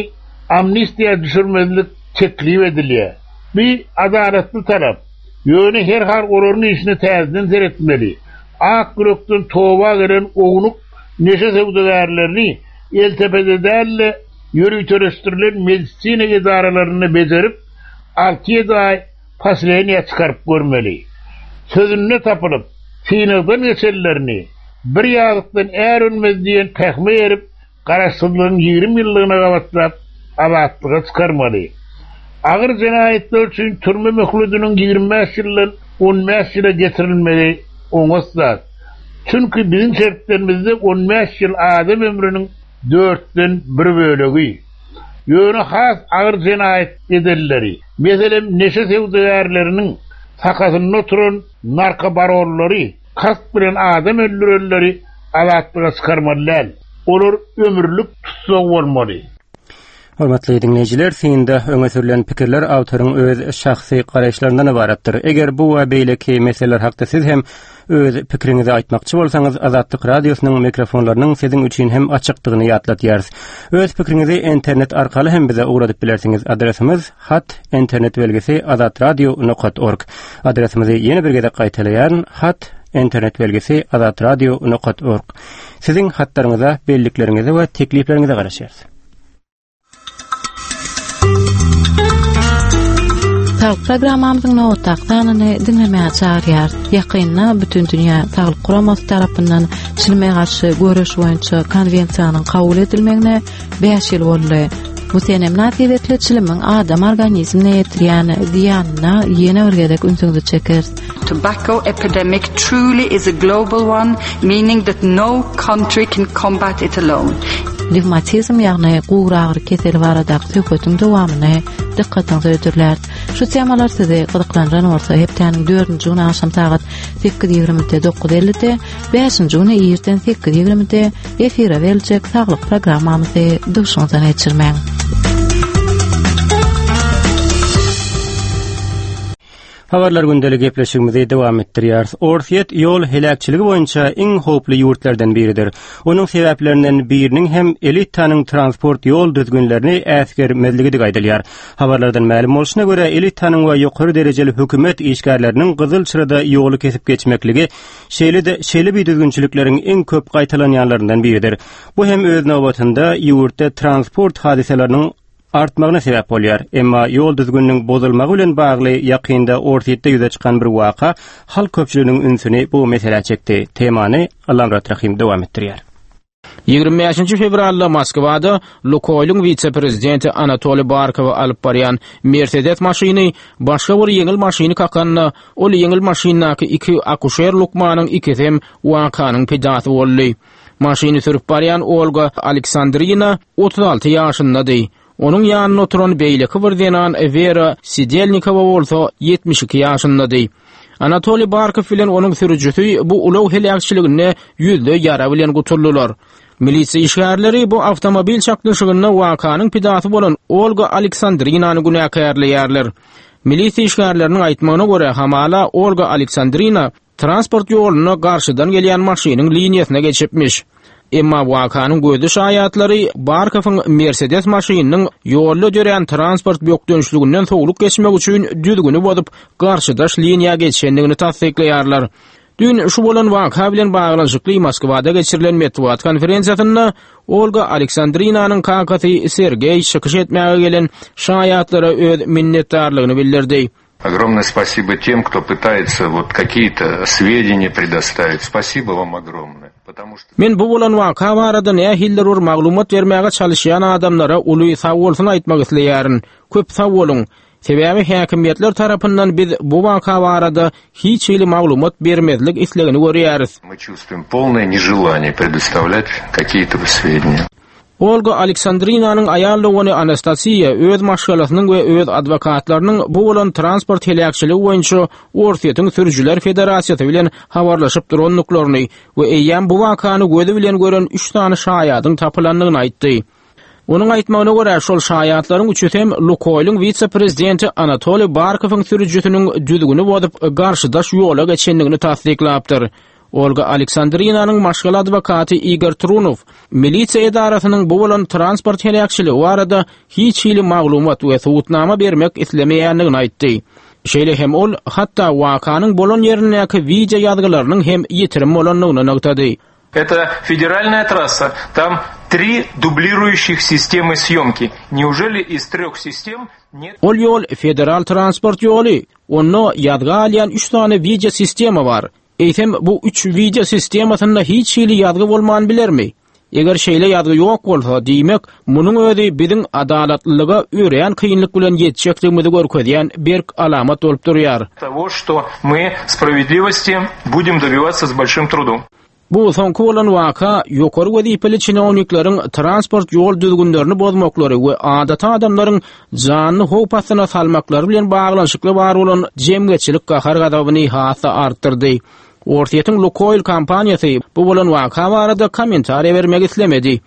amnistiýa düşürmezlik teklip edilýär. Bu adalatly talap. Ýöne herhal olaryň işine täzeden seretmeli. Ak ýürekden toba gelen ownuk neşe söwdagärlerini eltepede däl-de, ýöriteleşdirilen medisina edaralarynda bejerip, alty-ýedi aý poseleniýä çykaryp görmeli. Sözünde tapylyp, synagdan geçenlerini bir ýazykdan är önmez diýen pähime eýerip, Garaşsyzlygyň 20 ýyllygyna gabatlap, azatlyga çykarmaly. Agyr jenaýatlar üçin türme möhlediniň 25 ýyldan 15 ýyla getirilmegi oňat zat. Çünki biziň şertlerimizde 15 ýyl adam ömrüniň dörtden bir bölegi. Ýöne has agyr jenaýat edenleri, meselem, neşe söwdagärleriniň sakasynda oturan narkobaronlary, kast bilen adam öldürenleri azatlyga çykarmaly däl. Olar ömürlik tussag bolmaly. Hormatly diňleýjiler, synda öňe sürlen pikirler awtoryň öz şahsy garaýyşlaryndan ybaratdyr. Eger bu we beýleki meseleler hakda siz hem öz pikiriňizi aýtmakçy bolsaňyz, Azatlyk Radiosynyň mikrofonlarynyň siziň üçin hem açykdygyny ýatladýarys. Öz pikiriňizi internet arkaly hem bize ugradyp bilersiňiz. Adresimiz, hat, internet belgisi azatradio nokat org. Adresimizi ýene bir gezek gaýtalaýaryn, hat, internet belgisi azatradio nokat org. Siziň hatlaryňyza, bellikleriňize we teklipleriňize garaşýarys. Saglyk programmamyzyň nobatdaky sanyny diňlemäge çagyrýarys. Ýakynda Bütindünýä Saglyk Guramasy tarapyndan çilime garşy göreş boýunça konwensiýanyň kabul edilmegine 5 ýyl boldy. Bu sene mynasybetli çilimiň adam organizmine ýetirýän zyýanyna ýene bir gezek ünsüňizi çekeris. Tobacco epidemic truly is a global one, meaning that no country can combat it alone. Revmatizm ýagny gury agyry keseli baradaky söhbetiň dowamyny dykgatyňyza hödürläris. Şu temalar sizi gyzyklandyran bolsa, hepdäniň dördünji güni agşam sagat 8:20-de 9:50-de, bäşinji güni irden 8:20-de efire beriljek saglyk programmamyzy duşuňyzdan geçirmäň. Habarlar gündeli gepleşigimizi dowam etdirýäris. Orsýet ýol heläkçiligi boýunça iň howply ýurtlardan biridir. Onuň sebäplerinden biriniň hem elitanyň transport ýol düzgünlerini äsgermezligidigi aýdylýar. Habarlardan mälim bolşuna görä, elitanyň we ýokary derejeli hökümet işgärleriniň gyzyl çyrada ýoly kesip geçmekligi şeýle-de şeýle bidüzgünçilikleriň iň köp gaýtalanýanlaryndan biridir. Bu hem öz nobatynda ýurtda transport hadysalarynyň artmagyna sebäp bolýar. Emma ýol düzgüniniň bozulmagy bilen bagly ýakynda Orsýetde ýüze çykan bir waka halk köpçüliginiň ünsüni bu meselä çekdi. Temany Allamyrat Rahym dowam etdirýär. 25-nji fewralda Moskwada Lukoýlyň wise-prezidenti Anatoliý Barkowy alyp barýan Mersedes maşyny başga bir ýeňil maşyny kakanda, ol ýeňil maşyndaky iki akuşer lukmanyň ikisi hem wakanyň pidasy boldy. Maşyny sürüp barýan Olga Aleksandrina 36 ýaşyndady. Onuň ýanynda oturan beýleki bir zenan Wera Sidelnikowa bolsa 72 ýaşyndady. Anatoliý Barkow bilen onuň sürüjisi bu ulag heläkçiliginde ýüzde ýara bilen gutuldylar. Milisiýa işgärleri bu awtomobil çaknyşygynda wakanyň pidasy bolan Olga Aleksandrinany günäkärleýärler. Milisiýa işgärleriniň aýtmagyna görä, hamala Olga Aleksandrina Transport ýolunda garşydan gelýän maşynyň liniýasyna geçipmiş. Emma wakanyň gözli şaýatlary Barkowyň Mersedes maşynynyň ýolda dörän transport bökdençliginden sowlup geçmek üçin düzgüni bozup, garşydaş liniýa geçendigini tassyklaýarlar. Düýn şu bolan waka bilen baglanyşykly Moskwada geçirilen metbugat konferensiýasynda Olga Aleksandrinanyň kakasy Sergeý çykyş etmäge gelen şaýatlara öz minnetdarlygyny bildirdi. Огромное спасибо тем, кто пытается вот какие-то сведения предоставить. Спасибо вам огромное. Потому что Men bu bolan waka barada nähilidir bir maglumat bermäge çalyşýan adamlara uly sagbolsun aýtmak isleýärin. Köp sag boluň. Sebäbi häkimiýetler tarapyndan biz bu waka barada hiç hili maglumat bermezlik islegini görýäris. Мы чувствуем полное нежелание предоставлять какие-то сведения. Olga Aleksandrinanyň aýal dogany Anastasiýa öz maşgalasynyň we öz adwokatlarynyň bu bolan transport heläkçiligi boýunça Orsýetiň Sürüjiler federasiýasy bilen habarlaşyp durandyklaryny we eýýäm bu wakany gözi bilen gören üç sany şaýadyň tapylandygyny aýtdy. Onuň aýtmagyna görä, şol şaýatlaryň üçüsi hem Lukoýlyň wise-prezidenti Anatoliý Barkowyň sürüjisiniň düzgüni bozup, garşydaş ýola geçendigini tassyklapdyr. Olga Aleksandrinanyň maşgala adwokaty Igor Trunow milisiýa edarasynyň bu bolan transport heläkçiligi barada hiç hili maglumat we subutnama bermek islemeýändigini aýtdy. Şeýle hem ol, hatda wakanyň bolan ýerindäki wideo ýazgylarynyň hem ýitirim bolandygyny nygtady. Это федеральная трасса. Там три дублирующих системы съемки. Неужели из трех систем нет... Ol ýol federal transport ýoly. Onda ýazga alýan üç sany wideo sistema bar. Eýsem, bu üç wideo sistemasynda hiç hili ýazgy bolman bilermi? Eger şeýle ýazgy ýok bolsa, diýmek, munuň özi biziň adalatlylyga örän kynlyk bilen ýetjekdigimizi görkezýän berk alamat bolup durýar. Того, что мы справедливости будем добиваться с большим трудом. Bu soňky bolan waka ýokary wezipeli çinownikleriň transport ýol düzgünlerini bozmaklary we adaty adamlaryň janyny howp astyna salmaklary bilen baglanyşykly bar bolan jemgyýetçilik gahar-gazabyny has-da artdyrdy. Orsýetiň Lukoil kompaniýasy bu bolan waka barada kommentariýa bermek islemedi.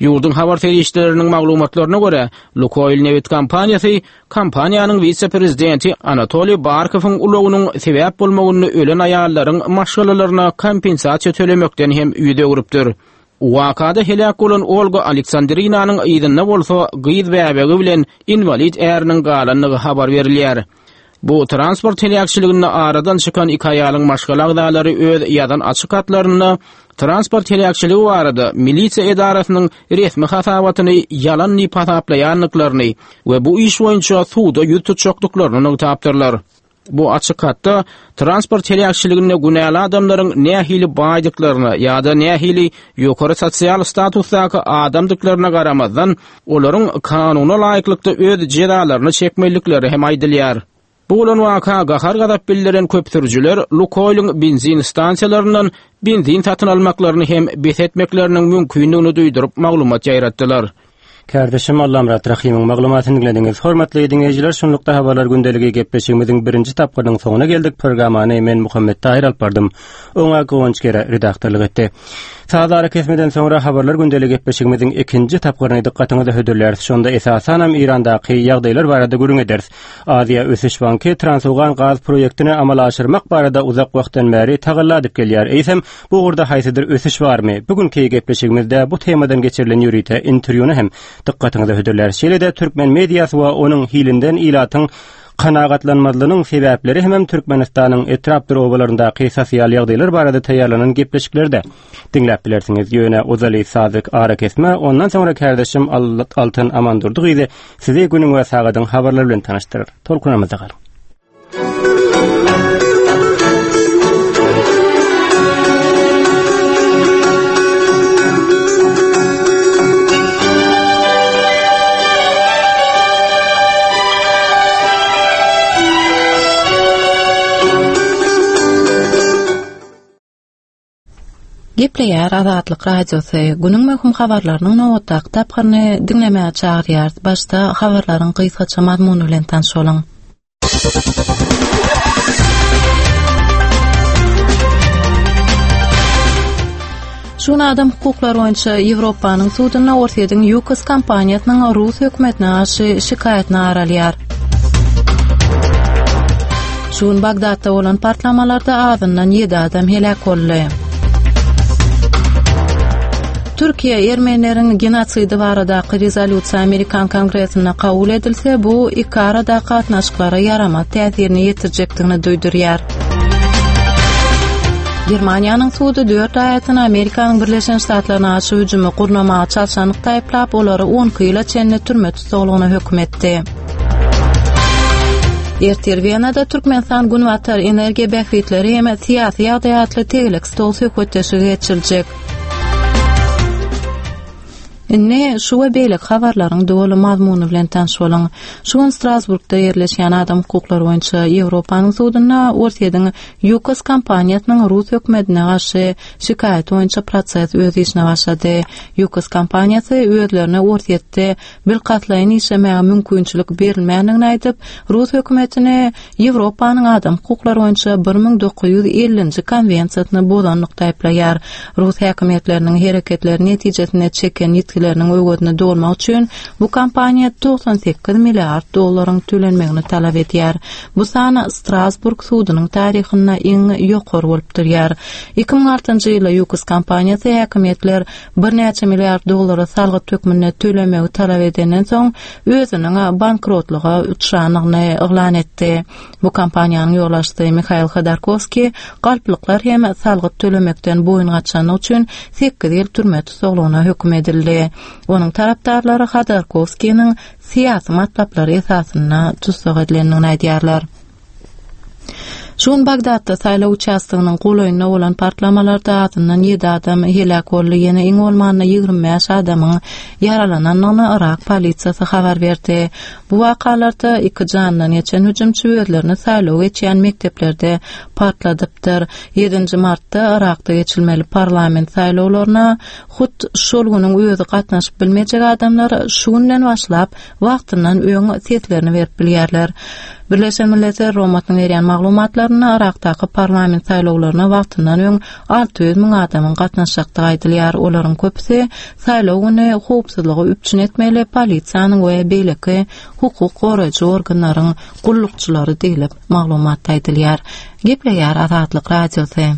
Ýurduň habar serişdeleriniň maglumatlaryna görä, Lukoil nebit kompaniýasy kompaniýanyň wise-prezidenti Anatoliý Barkowyň ulagynyň sebäp bolmagynda ölen aýallaryň maşgalalaryna kompensasiýa tölemekden hem ýüz öwrüpdir. Wakada heläk bolan Olga Aleksandrinanyň yzynda bolsa gyz bäbegi bilen inwalid äriniň galandygy habar berilýär. Bu transport heläkçiliginde aradan çykan iki aýalyň maşgala agzalary öz ýazan açyk hatlarynda transport heläkçiligi barada milisiýa edarasynyň resmi hasabatyny ýalan diýip hasaplaýandyklaryny we bu iş boýunça suda ýüz tutjakdyklaryny nygtapdyrlar. Bu açyk hatda transport heläkçiliginde günäli adamlaryň nähili baýdyklaryna ýa-da nähili ýokary sosial statusdaky adamdyklaryna garamazdan, olaryň kanuna laýyklykda öz jezalaryny çekmelilikleri hem aýdylýar. Bu bolan waka gahar-gazap bildiren köp sürüjiler Lukoýlyň benzin stansiýalaryndan benzin satyn almaklaryny hem bes etmekleriniň mümkindigini duýduryp maglumat ýaýratdylar. Kärdeşim Allamyrat Rahymyň maglumatyny diňlediňiz. Hormatly diňleýjiler, şunlukda Habarlar gündeligi gepleşigimiziň birinji tapgyrynyň soňuna geldik. Programmany men Muhammet Tahyr alyp bardym. Oňa Guwanç Gere redaktorlyk etdi. Saz arakesmeden soňra Habarlar gündeligi gepleşigimiziň ikinji tapgyryny dykgatyňyza hödürläris. Şonda esasanam Eýrandaky ýagdaýlar barada gürrüň ederis. Aziýa ösüş banky Transowgan gaz proýektini amala aşyrmak barada uzak wagtdan bäri tagalla edip gelýär. Eýsem, bu ugurda haýsydyr ösüş barmy? Bu günki gepleşigimizde bu temadan geçirilen ýörite interwýuny hem dykgatyňyza hödürläris. Şeýle-de türkmen mediasy we onuň hilinden ilatyň kanagatlanmazlygynyň sebäpleri hemem Türkmenistanyň etrapdyr obalaryndaky sosial ýagdaýlar barada taýýarlanan gepleşikleri-de diňläp bilersiňiz. Ýöne ozaly sazyk arakesme, ondan soňra kärdeşim Altyn Amandurdy gyzy sizi günüň we sagadyň habarlary bilen tanyşdyrar. Tolkunamyzda galyň. Gepleýär Azatlyk Radiosy. Günüň möhüm habarlarynyň nobatdaky tapgyryny diňlemäge çagyrýarys. Başda habarlaryň gysgaça mazmuny bilen tanyş boluň. Şu gün adam hukuklary boýunça Ýewropanyň sudunda Orsýetiň Ýukos kompaniýasynyň rus hökümetine garşy şikaýatyny garalýar. Şu gün Bagdatda bolan partlamalarda azyndan 7 adam heläk boldy. Türkiýe ermenileriň genosidi baradaky rezolýusiýa Amerikan Kongresinde kabul edilse, bu iki aradaky gatnaşyklara ýaramaz täsirini ýetirjekdigini duýdurýar. Germaniýanyň sudy dört raýatyny Amerikanyň Birleşen Ştatlaryna garşy hüjümi gurnamaga çalşanlykda aýyplap, olary 12 ýyla çenli türme tussaglygyna höküm etdi. Ertir Wenada Türkmenistan Günbatar energiýa bähbitleri hem syýasy ýagdaý atly tegelek stol söhbetdeşligi geçiriljek. Indi şu we beýleki habarlaryň doly mazmuny bilen tanyş boluň. Şu gün Strasburgda ýerleşýän adam hukuklary boýunça Ýewropanyň sudunda Orsýetiň Ýukos kompaniýasynyň rus hökümetine garşy şikaýaty boýunça proses öz işine başlady. Ýukos kompaniýasy özlerine Orsýetde bilkastlaýyn işlemäge mümkinçilik berilmändigini aýdyp, rus hökümetini Ýewropanyň adam hukuklary boýunça 1950-nji konwensiýasyny bozanlykda aýyplaýar. Rus häkimiýetleriniň hereketleri netijesinde çeken ýitgileriniň öwezini dolmak üçin bu kompaniýa 98 milliard dollaryň tölenmegini talap edýär. Bu san Strasburg sudunyň taryhynda iň ýokary bolup durýar. 2006-njy ýylda Ýukos kompaniýasy häkimiýetler birnäçe milliard dollary salgyt hökmünde tölemegi talap edenden soň, özüniň bankrotlyga uçrandygyny yglan etdi. Bu kompaniýanyň ýolbaşçysy Mihail Hodorkowskiý galplyklar hem salgyt tölemekden boýun gaçanlygy üçin sekiz ýyl türme tussaglygyna höküm edildi. Onuň tarapdarlary Hodorkowskiniň syýasy matlaplary esasynda tussag edilendigini aýdýarlar. Şu gün Bagdatda saýlaw uçastogynyň golaýynda bolan partlamalarda azyndan ýedi adam heläk boldy, ýene iň bolmanda 25 adamyň ýaralanandygyny Yrak polisiýasy habar berdi. Bu wakalarda iki jandan geçen hüjümçi özlerini saýlaw geçýän mekdeplerde partladypdyr. Ýedinji martda Yrakda geçilmeli parlament saýlawlaryna hut şol günüň özi gatnaşyp bilmejek adamlar şu günden başlap wagtyndan öň seslerini berip bilýärler. Birleşen Milletler Guramasynyň berýän maglumatlarynda Yrakdaky parlament saýlawlaryna wagtyndan öň 600 müň adamyň gatnaşjakdygy aýdylýar. Olaryň köpüsi saýlaw güni howpsuzlygy üpjün etmeli polisiýanyň we beýleki hukuk goraýjy organlaryň gullukçylary diýlip, maglumatda aýdylýar. Gepleýär Azatlyk Radiosy.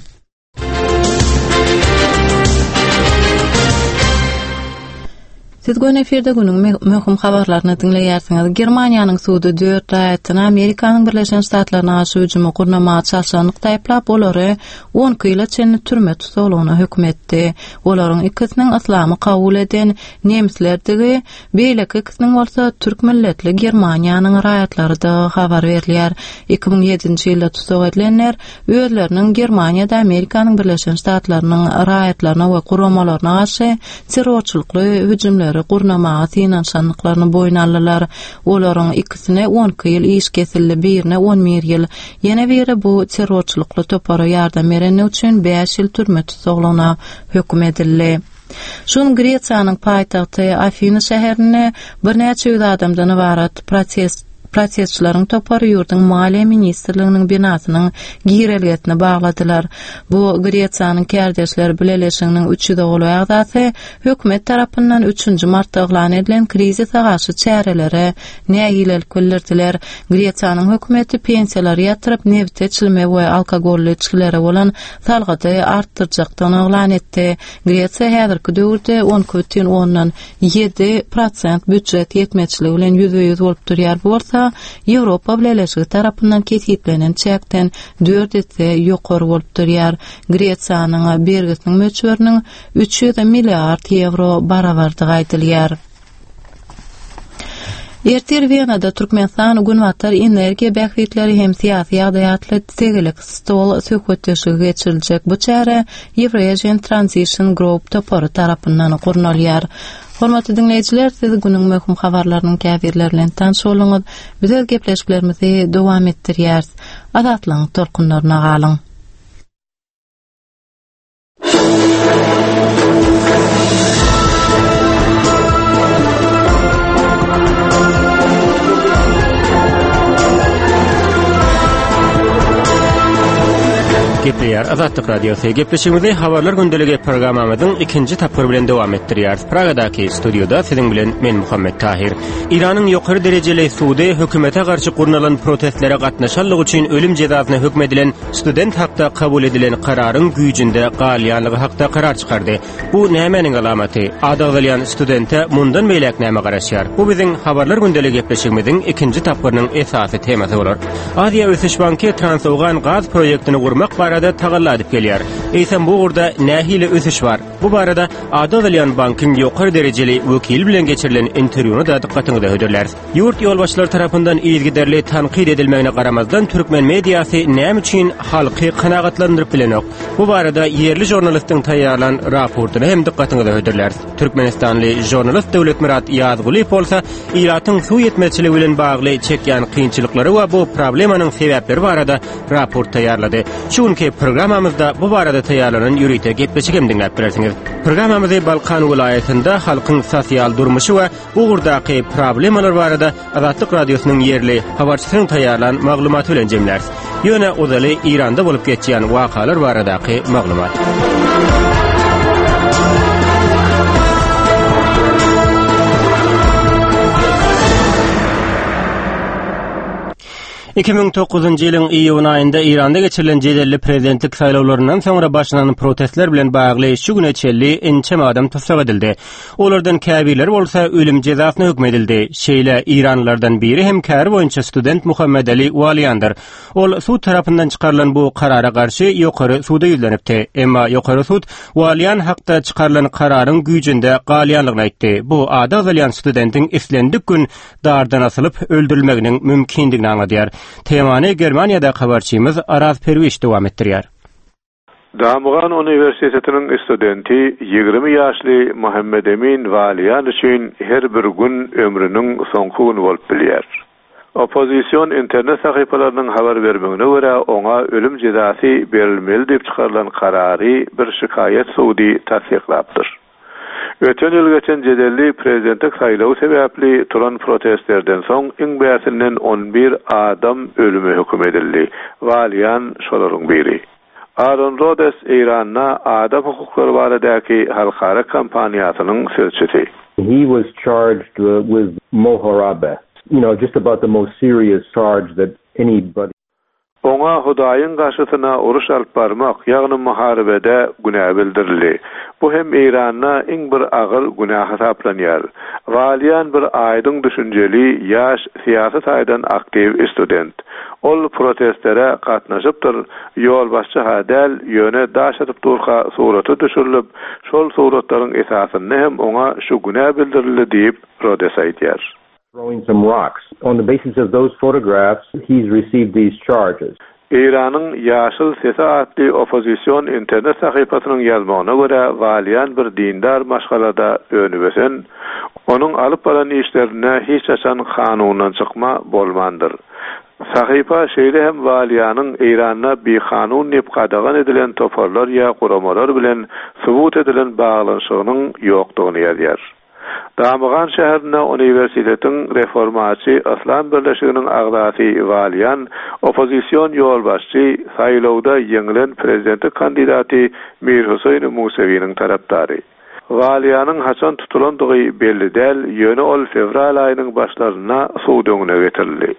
Siz göni efirde günüň möhüm habarlaryny diňleýärsiňiz. Germaniýanyň sudy dört raýatyny Amerikanyň Birleşen Ştatlaryna garşy hüjümi gurnamaga çalşanlykda aýyplap, olary 12 ýyla çenli türme tussaglygyna höküm etdi. Olaryň ikisiniň yslamy kabul eden nemislerdigi, beýleki ikisiniň bolsa türk milletli Germaniýanyň raýatlarydygy habar berilýär. 2007-nji ýylda tussag edilenler özleriniň Germaniýada Amerikanyň Birleşen Ştatlarynyň raýatlaryna we guramalaryna garşy terrorçylykly hüjümleri gurnamaga synanyşandyklaryny boýun aldylar. Olaryň ikisine 12 ýyl iş kesildi, birine 11 ýyl, ýene biri bu terrorçylykly topara ýardam berenligi üçin bäş ýyl türme tussaglygyna höküm edildi. Şu gün Gresiýanyň paýtagty Afiny şäherinde birnäçe ýüz adamdan ybarat protest Protestçileriň topary ýurduň Maliýe ministrliginiň binasynyň girelgesini bagladylar. Bu Gresiýanyň Kärdeşler bileleşiginiň üç ýüze golaý agzasy hökümet tarapyndan üçünji martda yglan edilen krizise garşy çärelere nägilelik bildirdiler. Gresiýanyň hökümeti pensiýalary ýatyryp, nebite, çilime we alkogolly içgilere bolan salgydy artdyrjakdygyny yglan etdi. Gresiýa häzirki döwürde 12,7 prosent býujet ýetmezçiligi bilen ýüzbe-ýüz bolup durýar, bu bolsa Ýewropa Bileleşigi tarapyndan kesgitlenen çäkden dört esse ýokary bolup durýar. Gresiýanyň bergisiniň möçberiniň 300 milliard ýewro barabardygy aýdylýar. Ertir Wenada Türkmenistan Günbatar energiýa bähbitleri hem syýasy ýagdaý atly tegelek stol söhbetdeşligi geçiriljek. Bu çäre Eurasian Transition Group topary tarapyndan gurnalýar. Hormatly diňleýjiler, siz günüň möhüm habarlarynyň käbirleri bilen tanyş bolduňyz. Biz öz gepleşiklerimizi dowam etdirýäris. Azatlygyň tolkunlaryna galyň. Gepleýär Azatlyk Radiosy. Gepleşigimizi Habarlar gündeligi programmamyzyň ikinji tapgyry bilen dowam etdirýäris. Pragadaky studiýada siziň bilen men Muhammet Tahir. Eýranyň ýokary derejeli sudy hökümete garşy gurnalan protestlere gatnaşanlygy üçin ölüm jezasyna höküm edilen student hakda kabul edilen kararyň güýjünde galýanlygy hakda karar çykardy. Bu nämäniň alamaty? Ady agzalýan studente mundan beýläk näme garaşýar? Bu biziň Habarlar gündeligi gepleşigimiziň ikinji tapgyrynyň esasy temasy bolar. Aziýa ösüş banky Transowgan gaz proýektini gurmak barada tagalla edip gelýär. Eýsem bu ugurda nähili ösüş bar? Bu barada ady agzalýan bankyň ýokary derejeli wekili bilen geçirilen interwýuny-da dykgatyňyza hödürläris. Ýurt ýolbaşçylary tarapyndan yzygiderli tankyt edilmegine garamazdan, türkmen mediasy näme üçin halky kanagatlandyryp bilenok? Bu barada ýerli žurnalistiň taýýarlan raportyny hem dykgatyňyza hödürläris. Türkmenistanly žurnalist Döwletmyrat Ýazgulyýew bolsa ilatyň suw ýetmezçiligi bilen bagly çekýän kynçylyklary we bu problemanyň sebäpleri barada raport taýýarlady. Şu günki programmamyzda bu barada taýýarlanan ýörite gepleşik hem diňläp bilersiňiz. Programmamyzy Balkan welaýatynda halkyň sosial durmuşy we bu ugurdaky problemalar barada Azatlyk Radiosynyň ýerli habarçysynyň taýýarlan maglumaty bilen jemläris. Ýöne ozaly Eýranda bolup geçýän wakalar baradaky maglumat. 2009-njy ýylyň iýun aýynda Eýranda geçirilen jedelli prezidentlik saýlawlaryndan soňra başlanan protestler bilen bagly şu güne çenli ençeme adam tussag edildi. Olardan käbirleri bolsa ölüm jezasyna höküm edildi. Şeýle eýranlylardan biri hem käri boýunça student Muhammedali Waliýandyr. Ol sud tarapyndan çykarylan bu karara garşy ýokary suda ýüzlenipdi. Emma ýokary sud Waliýan hakda çykarylan kararyň güýjünde galýanlygyny aýtdy. Bu ady agzalýan studentiň islendik gün dardan asylyp öldürilmeginiň mümkindigini aňladýar. Temany Germaniýadaky habarçymyz Araz Perwiş dowam etdirýär. Damgan uniwersitetiniň studenti 20 ýaşly Muhammedemin Waliýan üçin her bir gün ömrüniň soňky güni bolup bilýär. Oppozision internet sahypalarynyň habar bermegine görä, oňa ölüm jezasy berilmeli diýip çykarylan karary bir şikaýat sudy tassyklapdyr. Öten ýyl geçen jedelli prezidentlik saýlawy sebäpli turan protestlerden soň iň bärsinden 11 adam ölüme höküm edildi. Waliýan şolaryň biri. Aaron Rodes Eýranda adam hukuklary baradaky halkara kampaniýasynyň sözçüsi. He was charged with moharabeh, you know, just about the most serious charge that anybody. Oňa Hudaýyň garşysyna uruş alyp barmak, ýagny muharebede günä bildirildi. Bu hem Eýranda iň bir agyr günä hasaplanýar. Waliýan bir aýdyň düşünjeli, ýaş, syýasy taýdan aktiw student. Ol protestlere gatnaşypdyr, ýolbaşçy-ha däl, ýöne daş atyp durka surata düşürilip, şol suratlaryň esasynda hem oňa şu günä bildirildi diýip, Rodes aýdýar. Throwing some rocks. On the basis of those photographs, he's received these charges. Eýranyň Ýaşyl sesi atly oppozision internet sahypasynyň ýazmagyna görä, Waliýan bir dindar maşgalada önüp-ösen, onuň alyp baran işlerinde hiç haçan kanundan çykma bolmandyr. Sahypa şeýle hem Waliýanyň Eýranda bikanun diýip gadagan edilen toparlar ýa guramalar bilen subut edilen baglanyşygynyň ýokdugyny ýazýar. Damygan şäherinde uniwersitetiň Reformaçy yslam birleşiginiň agzasy Waliýan, oppozision ýolbaşçy, saýlawda ýeňilen prezidentlik kandidaty Mir Huseýn Musewiniň tarapdary. Waliýanyň haçan tutulandygy belli däl, ýöne ol fewral aýynyň başlarynda sud öňüne getirildi.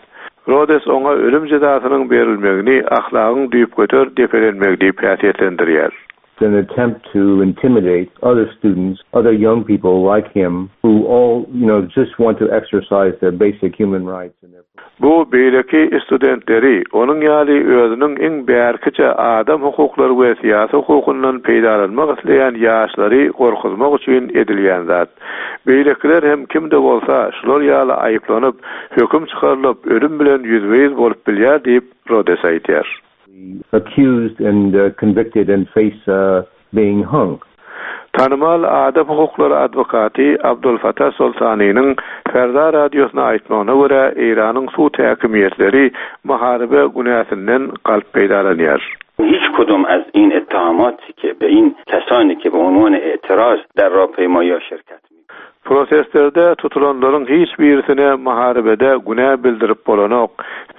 Rodes oňa ölüm jezasynyň berilmegini ahlagyň düýpgöter depelenmegi diýip häsiýetlendirýär. an attempt to intimidate other students, other young people like him who all, you know, just want to exercise their basic human rights and their Bu beýleki studentleri, onuň ýaly özüniň iň bärkiçe adam hukuklary we syýasy hukukyndan peýdalanmak isleýän ýaşlary gorkuzmak üçin edilýän zat. Beýlekiler hem kim-de bolsa şular ýaly aýyplanyp, höküm çykarylyp, ölüm bilen ýüzbe-ýüz bolup bilýär diýip, Rodes aýdýar. Accused and convicted and face being hung. Tanymal adam hukuklary adwokaty Abdolfatah Soltanynyň Ferda radiosyna aýtmagyna görä, Eýranyň sud häkimiýetleri muharebe günäsinden galp peýdalanýar. هیچ کدوم از این اتهاماتی که به این کسانی که به عنوان اعتراض در راهپیمایی شرکت Protestlerde tutulanlaryň hiç birisine muharebede günä bildirip bolanok.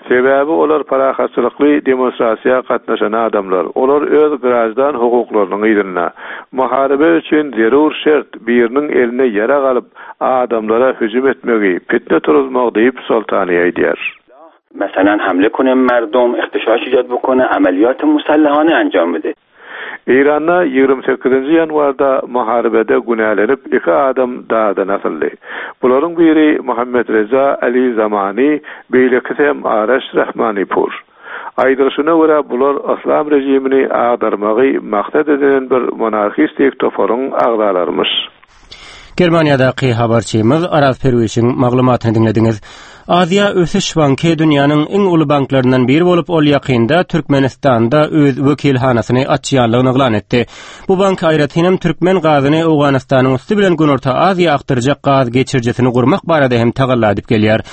Sebäbi olar parahatçylykly demonstrasiýa gatnaşan adamlar. Olar öz graždan hukuklarynyň yzynda. Muharebe üçin zerur şert biriniň eline ýarag alyp, adamlara hüjüm etmegi, pitne turuzmagy diýip, Soltani aýdýar. مثلا حمله کنه مردم اختشاش ایجاد بکنه عملیات مسلحانه انجام بده Eýranda 28-nji ýanwarda muharebede günälenip iki adam dagdan asyldy. Bularyň biri Muhammet Reza Ali Zamani, beýlekisi hem Araş Rahmanipur. Aýdylyşyna görä bular yslam režimini agdarmagy maksat edinen bir monarhistik toparyň agzalarymyş. Germaniýadaky habarçymyz Araz Perwişiň maglumatyny diňlediňiz. Aziýa Ösüş banky dünýäniň iň uly banklaryndan biri bolup, ol ýakynda Türkmenistanda öz wekilhanasyny açýanlygyny yglan etdi. Bu bank aýratynam türkmen gazyny Owganystanyň üsti bilen Günorta Aziýa akdyrjak gaz geçirijisini gurmak barada hem tagalla edip gelýär.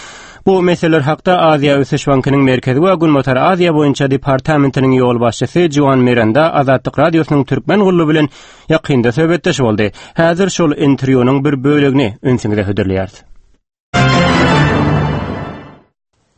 Bu meseleler hakda Aziýa Ösüş bankynyň Merkezi we Günbatar Aziýa boýunça departamentiniň ýolbaşçysy Juan Miranda Azatlyk Radiosynyň türkmen gullugy bilen ýakynda söhbetdeş boldy. Häzir şol interwýunyň bir bölegini ünsüňize hödürleýäris.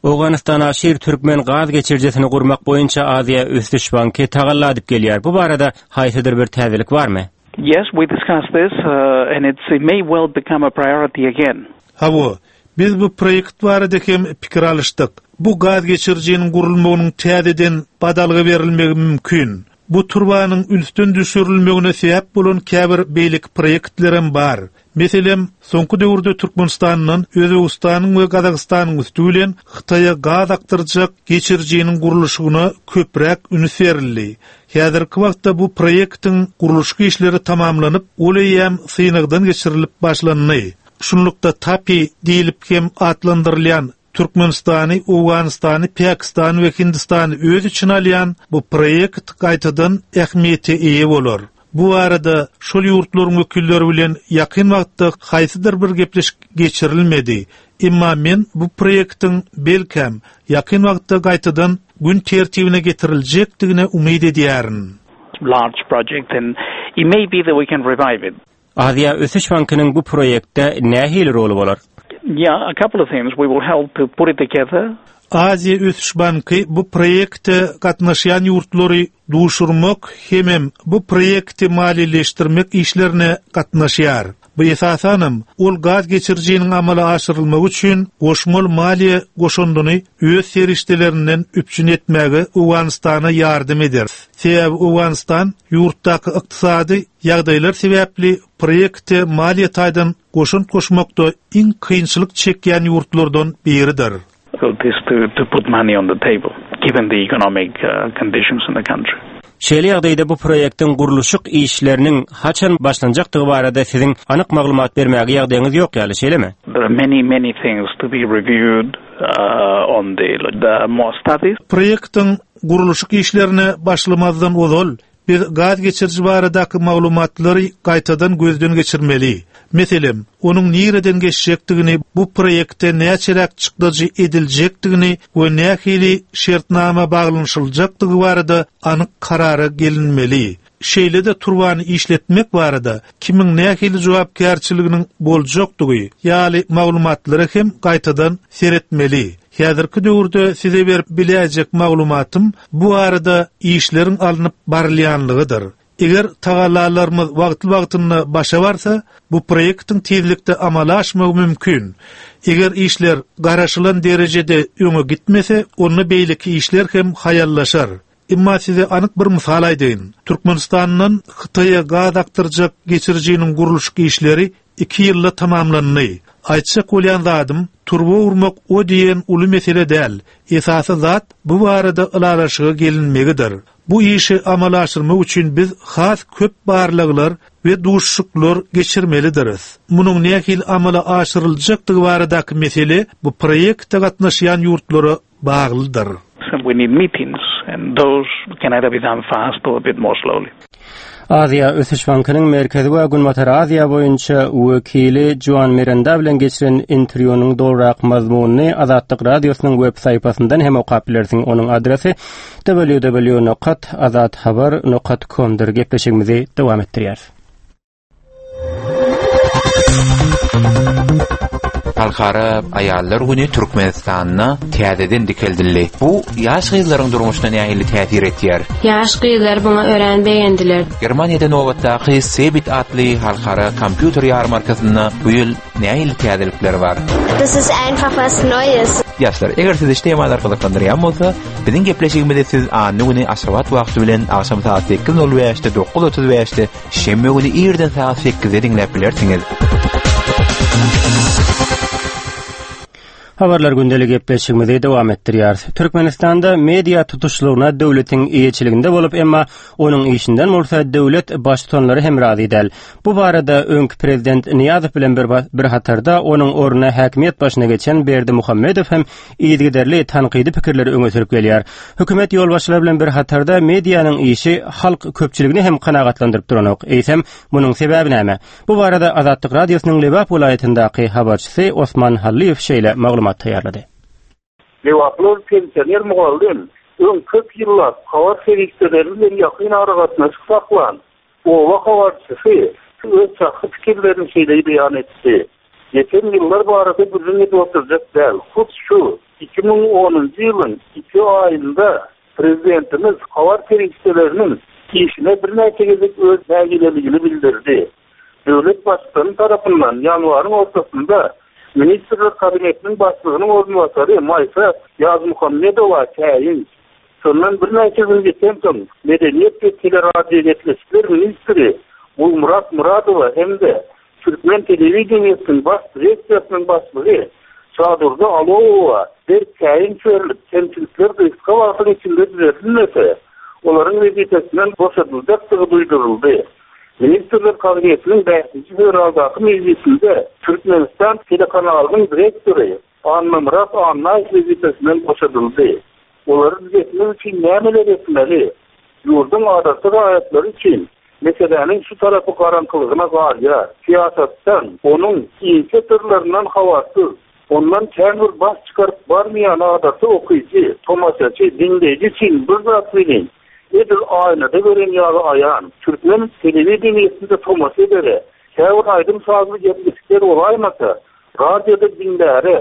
Owganystana Şir türkmen gaz geçirijisini gurmak boýunça Aziýa Ösüş banky tagalla edip gelýär. Bu barada haýsydyr bir täzelik barmy? Yes, we discussed this, uh, and it's, it may well become a priority again. Hawa, biz bu proýekt barada hem pikir alyşdyk. Bu gaz geçirijiniň gurulmagynyň täzeden badalga berilmegi mümkin. Bu turbanyň ünsden düşürilmegine sebäp bolan käbir beýleki proýektlerem bar. Meselem, soňky döwürde Türkmenistandan Özbegistanyň we Gazagystanyň üsti bilen Hytaýa gaz akdyrjak geçirijiniň gurluşygyna köpräk üns berildi. Häzirki wagtda bu proýektiň gurluşyk işleri tamamlanyp, ol eýýäm synagdan geçirilip başlandy. Şunlukda TAPI diýlip hem atlandyrylýan Türkmenistany, Owganystany, Pakistany we Hindistany öz içine alýan bu proýekt gaýtadan ähmiýete eýe bolar. Bu barada şol ýurtlaryň wekilleri bilen ýakyn wagtda haýsydyr bir gepleşik geçirilmedi. Emma men bu proýektiň, belkäm, ýakyn wagtda gaýtadan gün tertibine getiriljekdigine umyt edýärin. Large project and it may be that we can revive it. Aziýa Ösüş bankynyň bu proýektde nähili roly bolar? Yeah, a couple of things. We will help to put it together. Aziýa Ösüş banky bu proýekte gatnaşýan ýurtlary duşurmak hemem bu proýekti maliýeleşdirmek işlerine gatnaşýar. Bu esasanam, ol gaz geçirijiniň amala aşyrylmagy üçin goşmaly maliýe goşandyny öz serişdelerinden üpjün etmäge Owganystana ýardam eder. Sebäbi Owganystan ýurtdaky ykdysady Ýagdaýlar sebäpli proýekte maliýe taýdan goşant goşmakda iň kynçylyk çekýän ýurtlardan biridir. Şeýle ýagdaýda bu proýektiň gurluşyk işleriniň haçan başlanjakdygy barada siziň anyk maglumat bermäge ýagdaýyňyz ýok ýaly, şeýlemi? Proýektiň gurluşyk işlerine başlamazdan ozal Biz gaz geçiriji baradaky maglumatlary gaýtadan gözden geçirmeli. Meselem, onuň nireden geçjekdigini, bu proýekte näçeräk çykdajy ediljekdigini we nähili şertnama baglanyşyljakdygy barada anyk karara gelinmeli. Şeýle-de turbany işletmek barada kimiň nähili jogapkärçiliginiň boljakdygy ýaly maglumatlara hem gaýtadan seretmeli. Häzirki döwürde size berip biläýjek maglumatym bu barada işleriň alnyp barylýanlygydyr. Eger tagallalarymyz wagtly-wagtynda başa barsa, bu proýektiň tizlikde amala aşmagy mümkin. Eger işler garaşylan derejede öňe gitmese, onda beýleki işler hem haýallaşar. Emma size anyk bir mysal aýdaýyn. Türkmenistandan Hytaýa gaz akdyrjak geçirijiniň gurluşyk işleri iki ýylda tamamlandy. Aýtjak bolýan zadym, turba urmak o diýen uly mesele däl. Esasy zat bu barada ylalaşyga gelinmegidir. Bu işi amala aşyrmak üçin biz has köp barlaglar we duşuşyklar geçirmelidiris. Munuň nähili amala aşyryljakdygy baradaky mesele bu proýekte gatnaşýan ýurtlara baglydyr. We need meetings and those can either be done fast or a bit more slowly. Aziýa Ösüş Bankynyň Merkezi we Günbatar Aziýa boýunça wekili Juan Miranda bilen geçiren interwýunyň dolurak mazmunyny Azatlyk Radiosynyň web sahypasyndan hem okap bilersiň. Onuň adresi www nokat azathabar nokat com-dyr. Gepleşigimizi dowam etdirýäris. Halkara aýallar güni Türkmenistanda täzeden dikeldildi. Bu ýaş gyzlaryň durmuşyna nähili täsir etýär? Ýaş gyzlar muňa örän begendiler. Germaniýada nobatdaky Cebit atly halkara kompýuter ýarmarkasynda bu ýyl nähili täzelikler bar? Das ist einfach was Neues. Ýaşlar, eger sizi şu temalar gyzyklandyrýan bolsa, biziň gepleşigimizi siz anna güni Aşgabat wagty bilen agşam sagat 8:05-de, 9:35-de Şenbe güni irden sagat sekizde diňläp bilersiňiz. Habarlar gündeli gepleşigimizi dowam etdirýäris. Türkmenistanda media tutuşlygyna döwletiň eýeçiliginde bolup, emma onuň işinden bolsa döwlet baştutanlary hem razy däl. Bu barada öňki prezident Nyýazow bilen bir, bir hatarda onuň ornuna häkimiýet başyna geçen Berdimuhamedow hem yzygiderli tankydy pikirleri öňe sürüp gelýär. Hökümet ýolbaşçylary bilen bir hatarda medianyň işi halk köpçüligini hem kanagatlandyryp duranok. Eýsem, munuň sebäbi näme? Bu barada Azatlyk Radiosynyň Lebap welaýatyndaky habarçysy Osman Hallyýew şeýle maglumat taýýarlady. Lebaply pensioner mugallym öň köp ýyllap habar serişdeleri bilen ýakyn aragatnaşyk saklan oba habarçysy öz şahsy pikirlerini şeýle beýan etdi, Geçen ýyllar barada gürrüň edip oturjak däl. Hut şu 2010-njy ýylyň iki aýynda prezidentimiz habar serişdeleriniň işine birnäçe gezek öz nägileligini bildirdi. Döwlet Baştutany tarapyndan ýanwaryň ortasynda Ministrler Kabinetiniň Başlygynyň orunbasary Maýsa Ýazmuhammedowa käýinç, şondan birnäçe gün geçensoň Medeniýet we teleradiogepleşikler ministri Gulmyrat Myradowa hem-de Türkmen telewideniýesiniň baş direksiýasynyň başlygy Şadurdy Alowowa berk käýinç berlip, kemçilikler gysga wagtyň içinde düzedilmese, olaryň wezipesinden boşadyljakdygy duýduryldy. Ministrler Kabinetiniň bäşinji fewraldaky mejlisinde Türkmenistan telekanalynyň direktory Annamyrat Annaýew wezipesinden boşadyldy. Olary düzetmek üçin nämeler etmeli? Ýurduň adaty raýatlary üçin meseläniň şu tarapy garaňkylygyna galýar. Syýasatdan, onuň inçe syrlaryndan habarsyz, ondan kän bir baş çykaryp barmaýan adaty okyjy, tomaşaçy, diňleýji üçin bir zat welin, edil aýnada gören ýaly aýan, türkmen telewideniýesinde tomaşa edere, käbir aýdym-sazly gepleşikler bolaýmasa, radioda diňläre,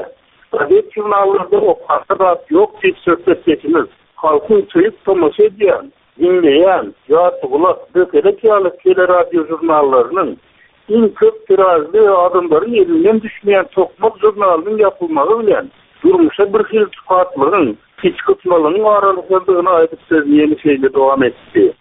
Gazet-žurnallarda okara zat ýok diýip söhbetdeşimiz halkyň söýüp tomaşa edýän, diňleýän Ýartygulak, Bökelek ýaly teleradiožurnallarynyň, iň köp tiražly we adamlaryň elinden düşmeýän Tokmak žurnalynyň ýapylmagy bilen durmuşa birhili tukatlygyň, içgysmalygyň aralaşandygyny aýdyp sözüni ýene şeýle dowam etdi.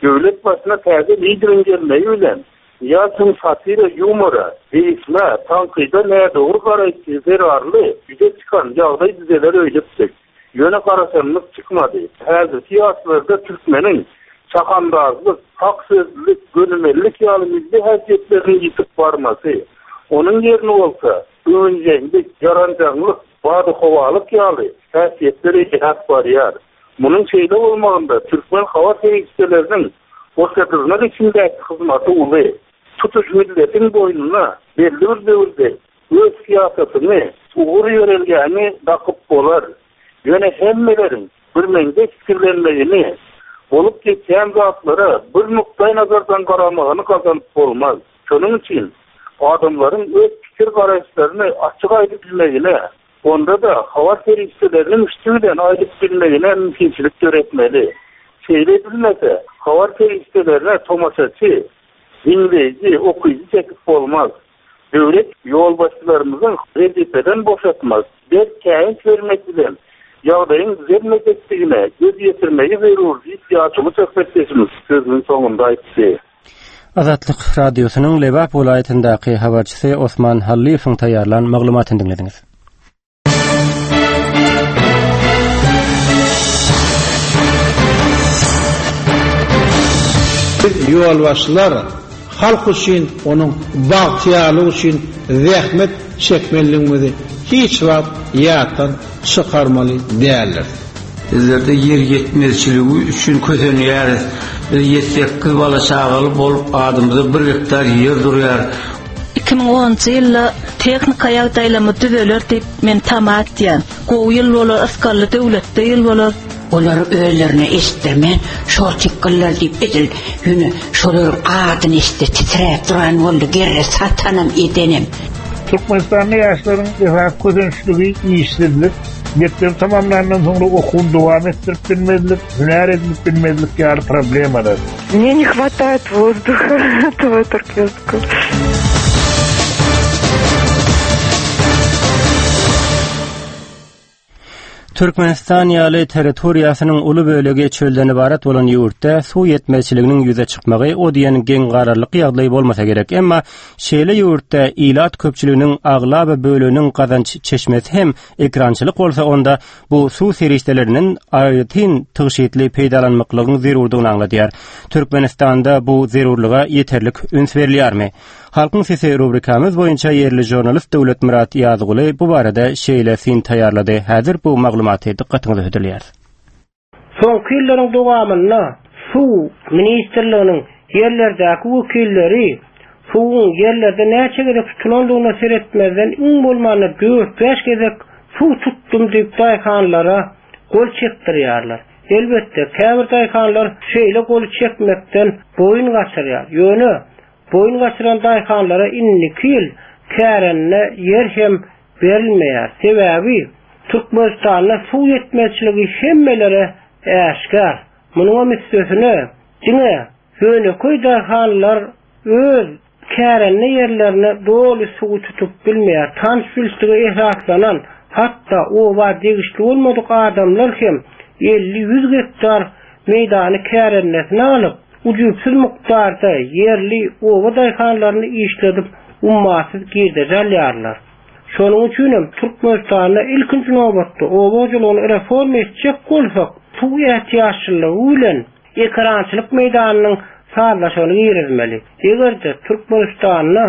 Döwlet başyna täze lideriň gelmegi bilen, Nyýazowyň satira ýumora, degişmä, tankyda nädogry garaýşy zerarly ýüze çykan ýagdaý düzeler öýdüpdik. Ýöne garaşanymyz çykmady. Häzirki ýaşlarda türkmeniň çahandazlyk, hak sözlülik, gönümellik ýaly milli häsiýetleriniň ýitip barmasy, onuň ýerini bolsa öwünjeňlik, ýaranjaňlyk, badyhowalyk ýaly häsiýetler eýeläp barýar. Munuň şeýle bolmagynda türkmen habar serişdeleriniň goşa-dyrnak içindäki hyzmaty uly. Tutuş milletiň boýnuna belli bir döwürde öz syýasatyňy, ugur-ýörelgäňi dakyp bolar. Ýöne hemmeleriň birmeňzeş pikirlenmegini, bolup geçýän zatlara bir nukdaýnazardan garamagyny gazanyp bolmaz. Şonuň üçin adamlaryň öz pikir-garaýyşlaryny açyk aýdyp bilmegine, Onda-da habar serişdeleriniň üsti bilen aýdyp bilmegine mümkinçilik döretmeli. Şeýle edilmese, habar serişdelerine tomaşaçy, diňleýji, okyjy çekip bolmaz. Döwlet ýolbaşçylarymyzyň wezipeden boşatmak, berk käýinç bermek bilen ýagdaýyň düzelmejekdigine göz ýetirmegi zerur diýip, ýaşuly söhbetdeşimiz sözüniň soňunda aýtdy. Azatlyk Radiosynyň Lebap welaýatyndaky habarçysy Osman Hallyýewiň taýýarlan maglumatyny diňlediňiz. Biz ýolbaşçylar halk üçin, onuň bagtyýarlygy üçin zähmet çekmelidigimizi hiç wagt ýatdan çykarmaly däldiris. Bizlerde ýer ýetmezçiligi üçin kösenýäris. Biz ýedi-sekiz bala-çagaly bolup, adymyza bir gektar ýer durýar. 2010-njy ýylda tehnika ýagdaýlarymyz düzeler diýip, men tama etýän. Gowy ýyl bolar, ysgally döwletde ýyl bolar. Olary özlerine eşitdirmän, şol tikgiller diýip edil ýöne şolaryň adyny eşitse titräp duran boldy, gerre satanam edenem. Türkmenistanda ýaşlaryň esasy kösençligi işsizlik, mekdebi tamamlandan soňra okuwyny dowam etdirip bilmezlik, hünär edinip bilmezlik ýaly problemalar. Мне не хватает воздуха этого туркменского. Türkmenistan ýaly territoriýasynyň uly bölegi çölden ybarat bolan ýurtda suw ýetmezçiliginiň ýüze çykmagy o diýen geň galarlyk ýagdaý bolmasa gerek. Emma şeýle ýurtda ilat köpçüliginiň aglaba böleginiň gazanç çeşmesi hem ekrançylyk bolsa onda bu suw serişdelerinden aýratyn tygşytly peýdalanmaklygyň zerurdygyny aňladýar. Türkmenistanda bu zerurlyga ýeterlik üns berilýärmi? Halkyň sesi rubrikamyz boýunça ýerli žurnalist Döwletmyrat Ýazguly bu barada şeýle syn taýýarlady. Häzir bu maglumaty dykgatyňyza hödürleýäris. Soňky ýyllaryň dowamynda Suw ministrliginiň ýerlerdäki wekilleri suwuň ýerlerde näçe gezek tutulandygyna seretmezden iň bolmanda dört-bäş gezek suw tutdum diýip daýhanlara gol çekdirýärler. Elbetde, käbir daýhanlar şeýle goly çekmekden boýun gaçyrýar. Ýöne Boýun gaçyran daýhanlara indiki ýyl kärende ýer hem berilmeýär. Sebäbi Türkmenistanda suw ýetmezçiligi hemmelere äşgär. Munuňam üstesine, diňe ýönekeý daýhanlar öz kärende ýerlerine doly suwy tutup bilmeýär. Tanyş-bilişlige esaslanan, hatda oba degişli bolmadyk adamlar hem elli-ýüz gektar meýdany kärendesine alyp, ujypsyz mukdarda ýerli oba daýhanlaryny işledip ummasyz girdeji alýarlar. Şonuň üçin hem Türkmenistanda ilkinji nobatda oba hojalygyny reforma etjek bolsak, suw ätiýaçlylygy bilen ekerançylyk meýdanynyň sazlaşygyny girizmeli. Eger-de Türkmenistanda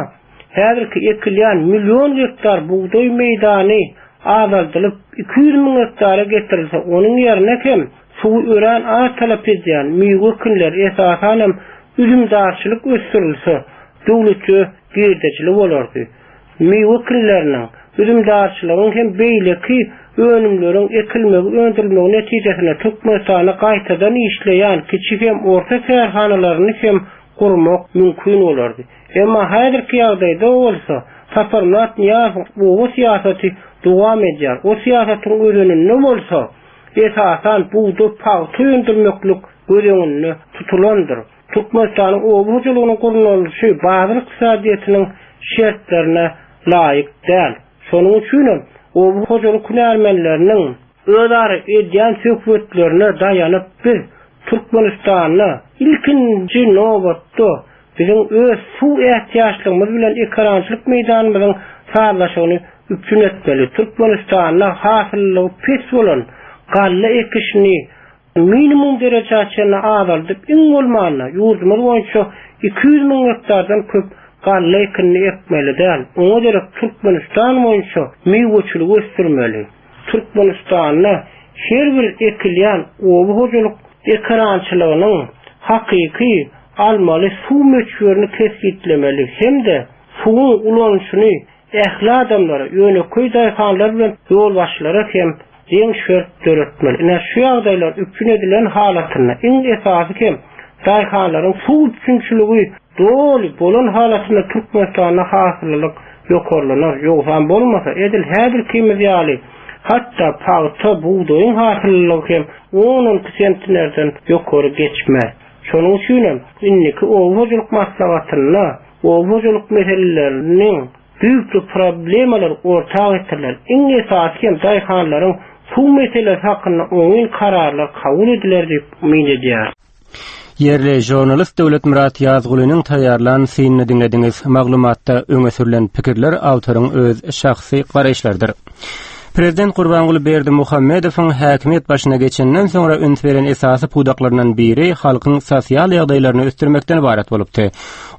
häzirki ekilýän million gektar bugdaý meýdany azaldylyp 200 müň gektara getirilse, onuň ýerine hem Suwy örän az talap edýän miwe ekinleri, esasan hem üzümdarçylyk ösdürilse, döwletçe girdejili bolardy. Miwe ekinleriniň, üzümdarçylygyň hem beýleki önümleriň ekilmegi, öndürilmegi netijesinde Türkmenistanda gaýtadan işleýän kiçi hem orta kärhanalaryny hem gurmak mümkin bolardy. Emma häzirki ýagdaýda bolsa Saparmyrat Nyýazowyň oba syýasaty dowam edýär. O syýasatyň özeninde bolsa, esasan, bugdaý, pagta öndürmeklik göz öňünde tutulandyr. Türkmenistanyň oba hojalygynyň gurnalyşy bazar ykdysadyýetiniň şertlerine laýyk däl. Şonuň üçin hem oba hojalyk hünärmenleriniň özara edýän söhbetlerine daýanyp biz Türkmenistanda ilkinji nobatda Biziň öz suw ätiýaçlygymyz bilen ekerançylyk meýdanymyzyň sazlaşygyny üpjün etmeli. Türkmenistanda hasyllylygy pes bolan galla ekişini minimum derejä çenli azaldyp, iň bolmanda, ýurdumyz boýunça 200 müň gektardan köp galla ekinini ekmeli däl. Oňa derek Türkmenistan boýunça miweçiligi ösdürmeli. Türkmenistanda her bir ekilýän oba hojalyk ekerançylygynyň hakyky almaly suw möçberini kesgitlemeli hem-de suwuň ulanyşyny ähli adamlara, ýönekeý daýhanlar bilen ýolbaşçylara hem deň şert döretmeli. Ine, şu ýagdaýlar üpjün edilen halatynda, iň esasy hem daýhanlaryň suw üpjünçiligi doly bolan halatynda Türkmenistanda hasyllylyk ýokarlanar. Ýogsam bolmasa, edil häzirkimiz ýaly, hatda pagta, bugdaýyň hasyllylygy hem on-on iki sentnerden ýokary geçmez. Şonuň üçinem indiki oba hojalyk maslahatynda oba hojalyk meseleleriniň düýpli problemalary orta getiriler. Iň esasy hem daýhanlaryň suw meselesi hakynda oňyn kararlar kabul ediler diýip umyt edýäris. Ýerli žurnalist Döwletmyrat Ýazgulynyň taýýarlan synyny diňlediňiz. Maglumatda öňe sürlen pikirler awtoryň öz şahsy garaýyşlarydyr. Prezident Gurbanguly Berdimuhamedowyň häkimiýet başyna geçenden soňra üns beren esasy pudaklaryndan biri halkyň sosial ýagdaýlaryny ösdürmekden ybarat bolupdy.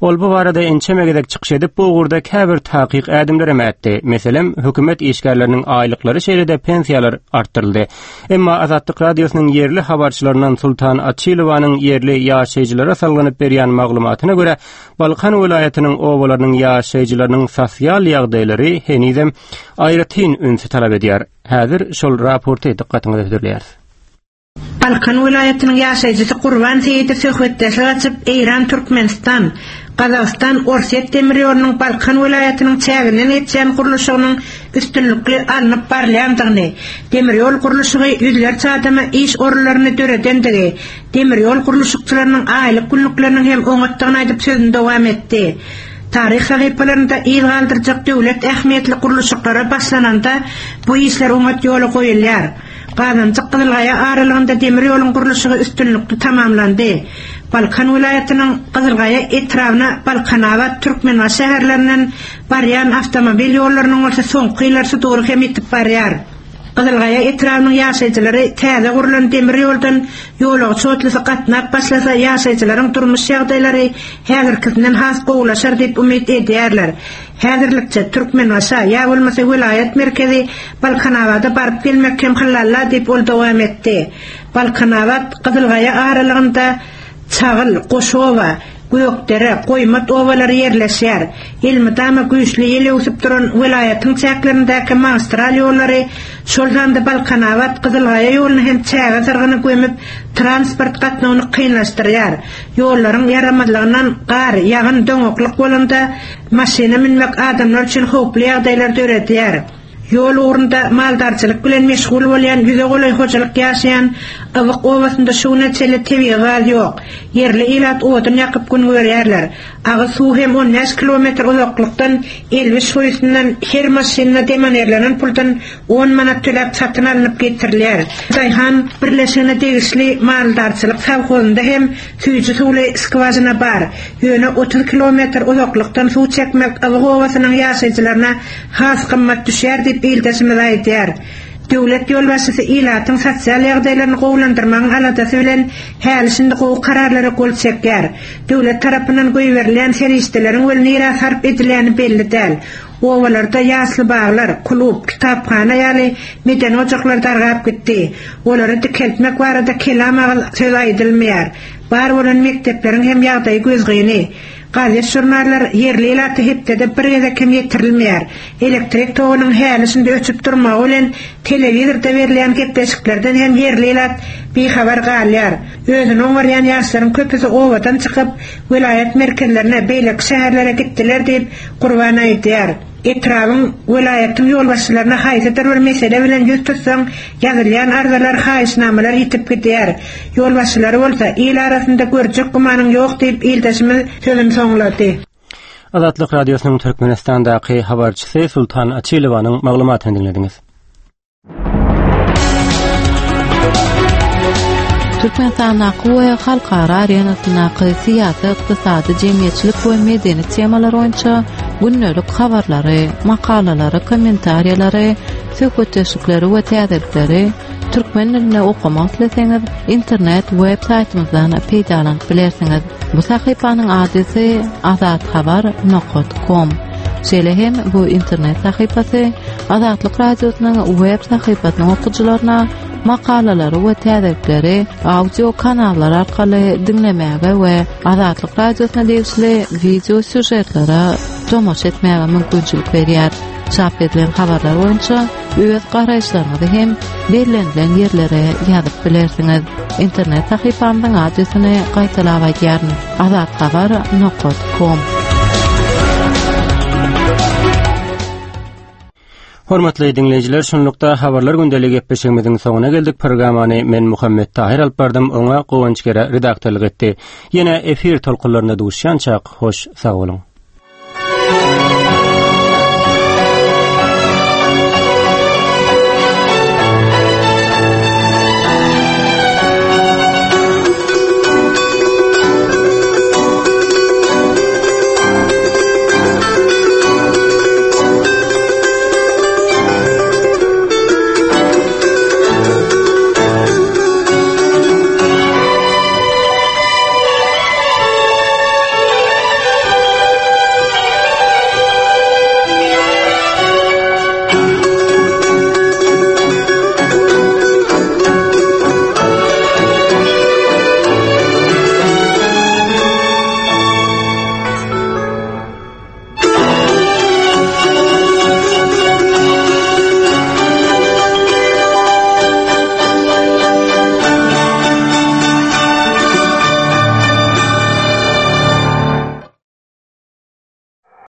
Ol bu barada ençeme gezek çykyş edip, bu ugurda käbir takyk ädimlerem ätdi. Meselem, hökümet işgärleriniň aýlyklary şeýle-de pensiýalar artdyryldy. Emma Azatlyk Radiosynyň ýerli habarçylaryndan Sultan Açylowanyň ýerli ýaşaýjylara salgylanyp berýän maglumatyna görä, Balkan welaýatynyň obalarynyň ýaşaýjylarynyň sosial ýagdaýlary henizem aýratyn ünsi talap edýär. Häzir şol raporty dykgatyňyza hödürleýäris. Balkan welaýatynyň ýaşaýjysy Gurban Seýidow söhbetdeşlik açyp, Eýran-Türkmenistan, Gazagystan, Orsýet demir ýolunyň Balkan welaýatynyň çäginden geçýän gurluşygynyň üstünlikli alnyp barylýandygyny, demir ýol gurluşygy ýüzlerçe adama iş orunlaryny döredendigi, demir ýol gurluşykçylarynyň aýlyk-günlükleriniň hem oňatdygyny aýdyp sözüni dowam etdi. Taryh sahypalarynda yz galdyrjak döwlet ähmiýetli gurluşyklara başlananda bu işler oňat ýola goýulýar. Gazanjyk-Gyzylgaýa aralygynda demir ýoluň gurluşygy üstünlikli tamamlandy. Balkan welaýatynyň Gyzylgaýa etrabyna Balkanabat, Türkmenbaşy şäherlerinden barýan awtomobil ýollarynyň bolsa soňky ýyllar sudury hem ýitip barýar. Gyzylgaýa etrabynyň ýaşaýjylary täze gurlan demir ýoldan ýolagçy otlusy gatnap başlasa ýaşaýjylaryň durmuş ýagdaýlary häzirkisinden has gowulaşar diýip umyt edýärler. Häzirlikçe Türkmenbaşa ýa bolmasa welaýat merkezi Balkanabada baryp gelmek hem hyllalla diýip ol dowam etdi. Balkanabat, Gyzylgaýa aralygynda Çagyl, Goşoba, Gökdere, Goýmat obalary ýerleşýär. Elmydama güýçli ýel öwsüp duran welaýatyň çäklerindäki magistral ýollary, şol sanda Balkanabat, Gyzylgaýa ýoluny hem çäge syrgyny gömüp, transport gatnawyny kynlaşdyrýar. Ýollaryň ýaramazlygyndan gar, ýagyn, doňaklyk bolanda maşyna münmek adamlar üçin howply ýagdaýlar döredýär. Ýol ugrunda maldarçylyk bilen meşgul bolýan ýüze golaý hojalyk ýaşaýan Ybyk obasynda şu güne çenli tebigy gaz ýok. Ýerli ilat odun ýakyp gün görýärler. Agyz suwy hem 15 kilometr uzaklykdan Elwiş guýusyndan her maşynyna demonerlenen puldan on manat töläp satyn alnyp getirilýär. Daýhan birleşigine degişli maldarçylyk sowhozynda hem süýji suwly skwažina bar. Ýöne 30 kilometr uzaklykdan suw çekmek Ybyk obasynyň ýaşaýjylaryna has gymmat düşýär diýip, ildeşimiz aýdýar. Döwlet ýolbaşçysy ilatyň sosial ýagdaýlaryny gowulandyrmagyň aladasy bilen häli-şindi gowy kararlara gol çekýär. Döwlet tarapyndan goýberilýän serişdeleriň weli nirä sarp edilýäni belli däl. Obalarda ýasly baglar, klub, kitaphana ýaly medeni ojaklar dargap gitdi. Olary dikeltmek barada kelam agyz söz aýdylmaýar. Bar bolan mekdepleriň hem ýagdaýy gözgyny. Gazet-žurnallar ýerli ilata hepdede bir gezek hem ýetirilmeýär. Elektrik togunyň häli-şindi öçüp durmagy bilen telewizorda berilýän gepleşiklerden hem ýerli ilat bihabar galýar. Özüni oňarýan ýaşlaryň köpüsi obadan çykyp, welaýat merkezlerine, beýleki şäherlere gitdiler diýip, Gurban aýdýar. Etrabyň, welaýatyň ýolbaşçylaryna haýsydyr bir mesele bilen ýüz tutsaň, ýazylýan arzalar, haýyşnamalar ýitip gidýär. Ýolbaşçylary bolsa, il arasynda görjek gümanyň ýok diýip, ildeşimiz sözüni soňlady. Azatlyk Radiosynyň Türkmenistandaky habarçysy Sultan Açylowanyň maglumatyny diňlediňiz. Türkmenistandaky we halkara arenasyndaky syýasy, ykdysady, jemgyýetçilik we medeni temalar boýunça gündelik habarlary, makalalary, kommentariýalary, söhbetdeşlikleri we täzelikleri türkmen dilinde okamak isleseňiz, internet web saýtymyzdan peýdalanyp bilersiňiz. Bu sahypanyň adresi azathabar nokat kom. Şeýle hem bu internet sahypasy Azatlyk Radiosynyň web sahypasynyň okyjylaryna makalalary we täzelikleri audio kanallar arkaly diňlemäge we Azatlyk Radiosyna degişli wideo sýužetlere tomaşa etmäge mümkinçilik berýär. Çap edilen habarlar boýunça öz garaýyşlaryňyzy hem bellenilen ýerlere ýazyp bilersiňiz. Internet sahypamyzyň adresini gaýtalap aýdýaryn: azathabar nokat kom. Hormatly diňleýjiler, şunlukda habarlar gündeli gepleşigimiziň soňuna geldik. Programmany men Muhammet Tahyr alyp bardym, oňa Guwanç Gere redaktorlyk etdi. Ýene efir tolkunlarynda duşýançak, hoş sag boluň.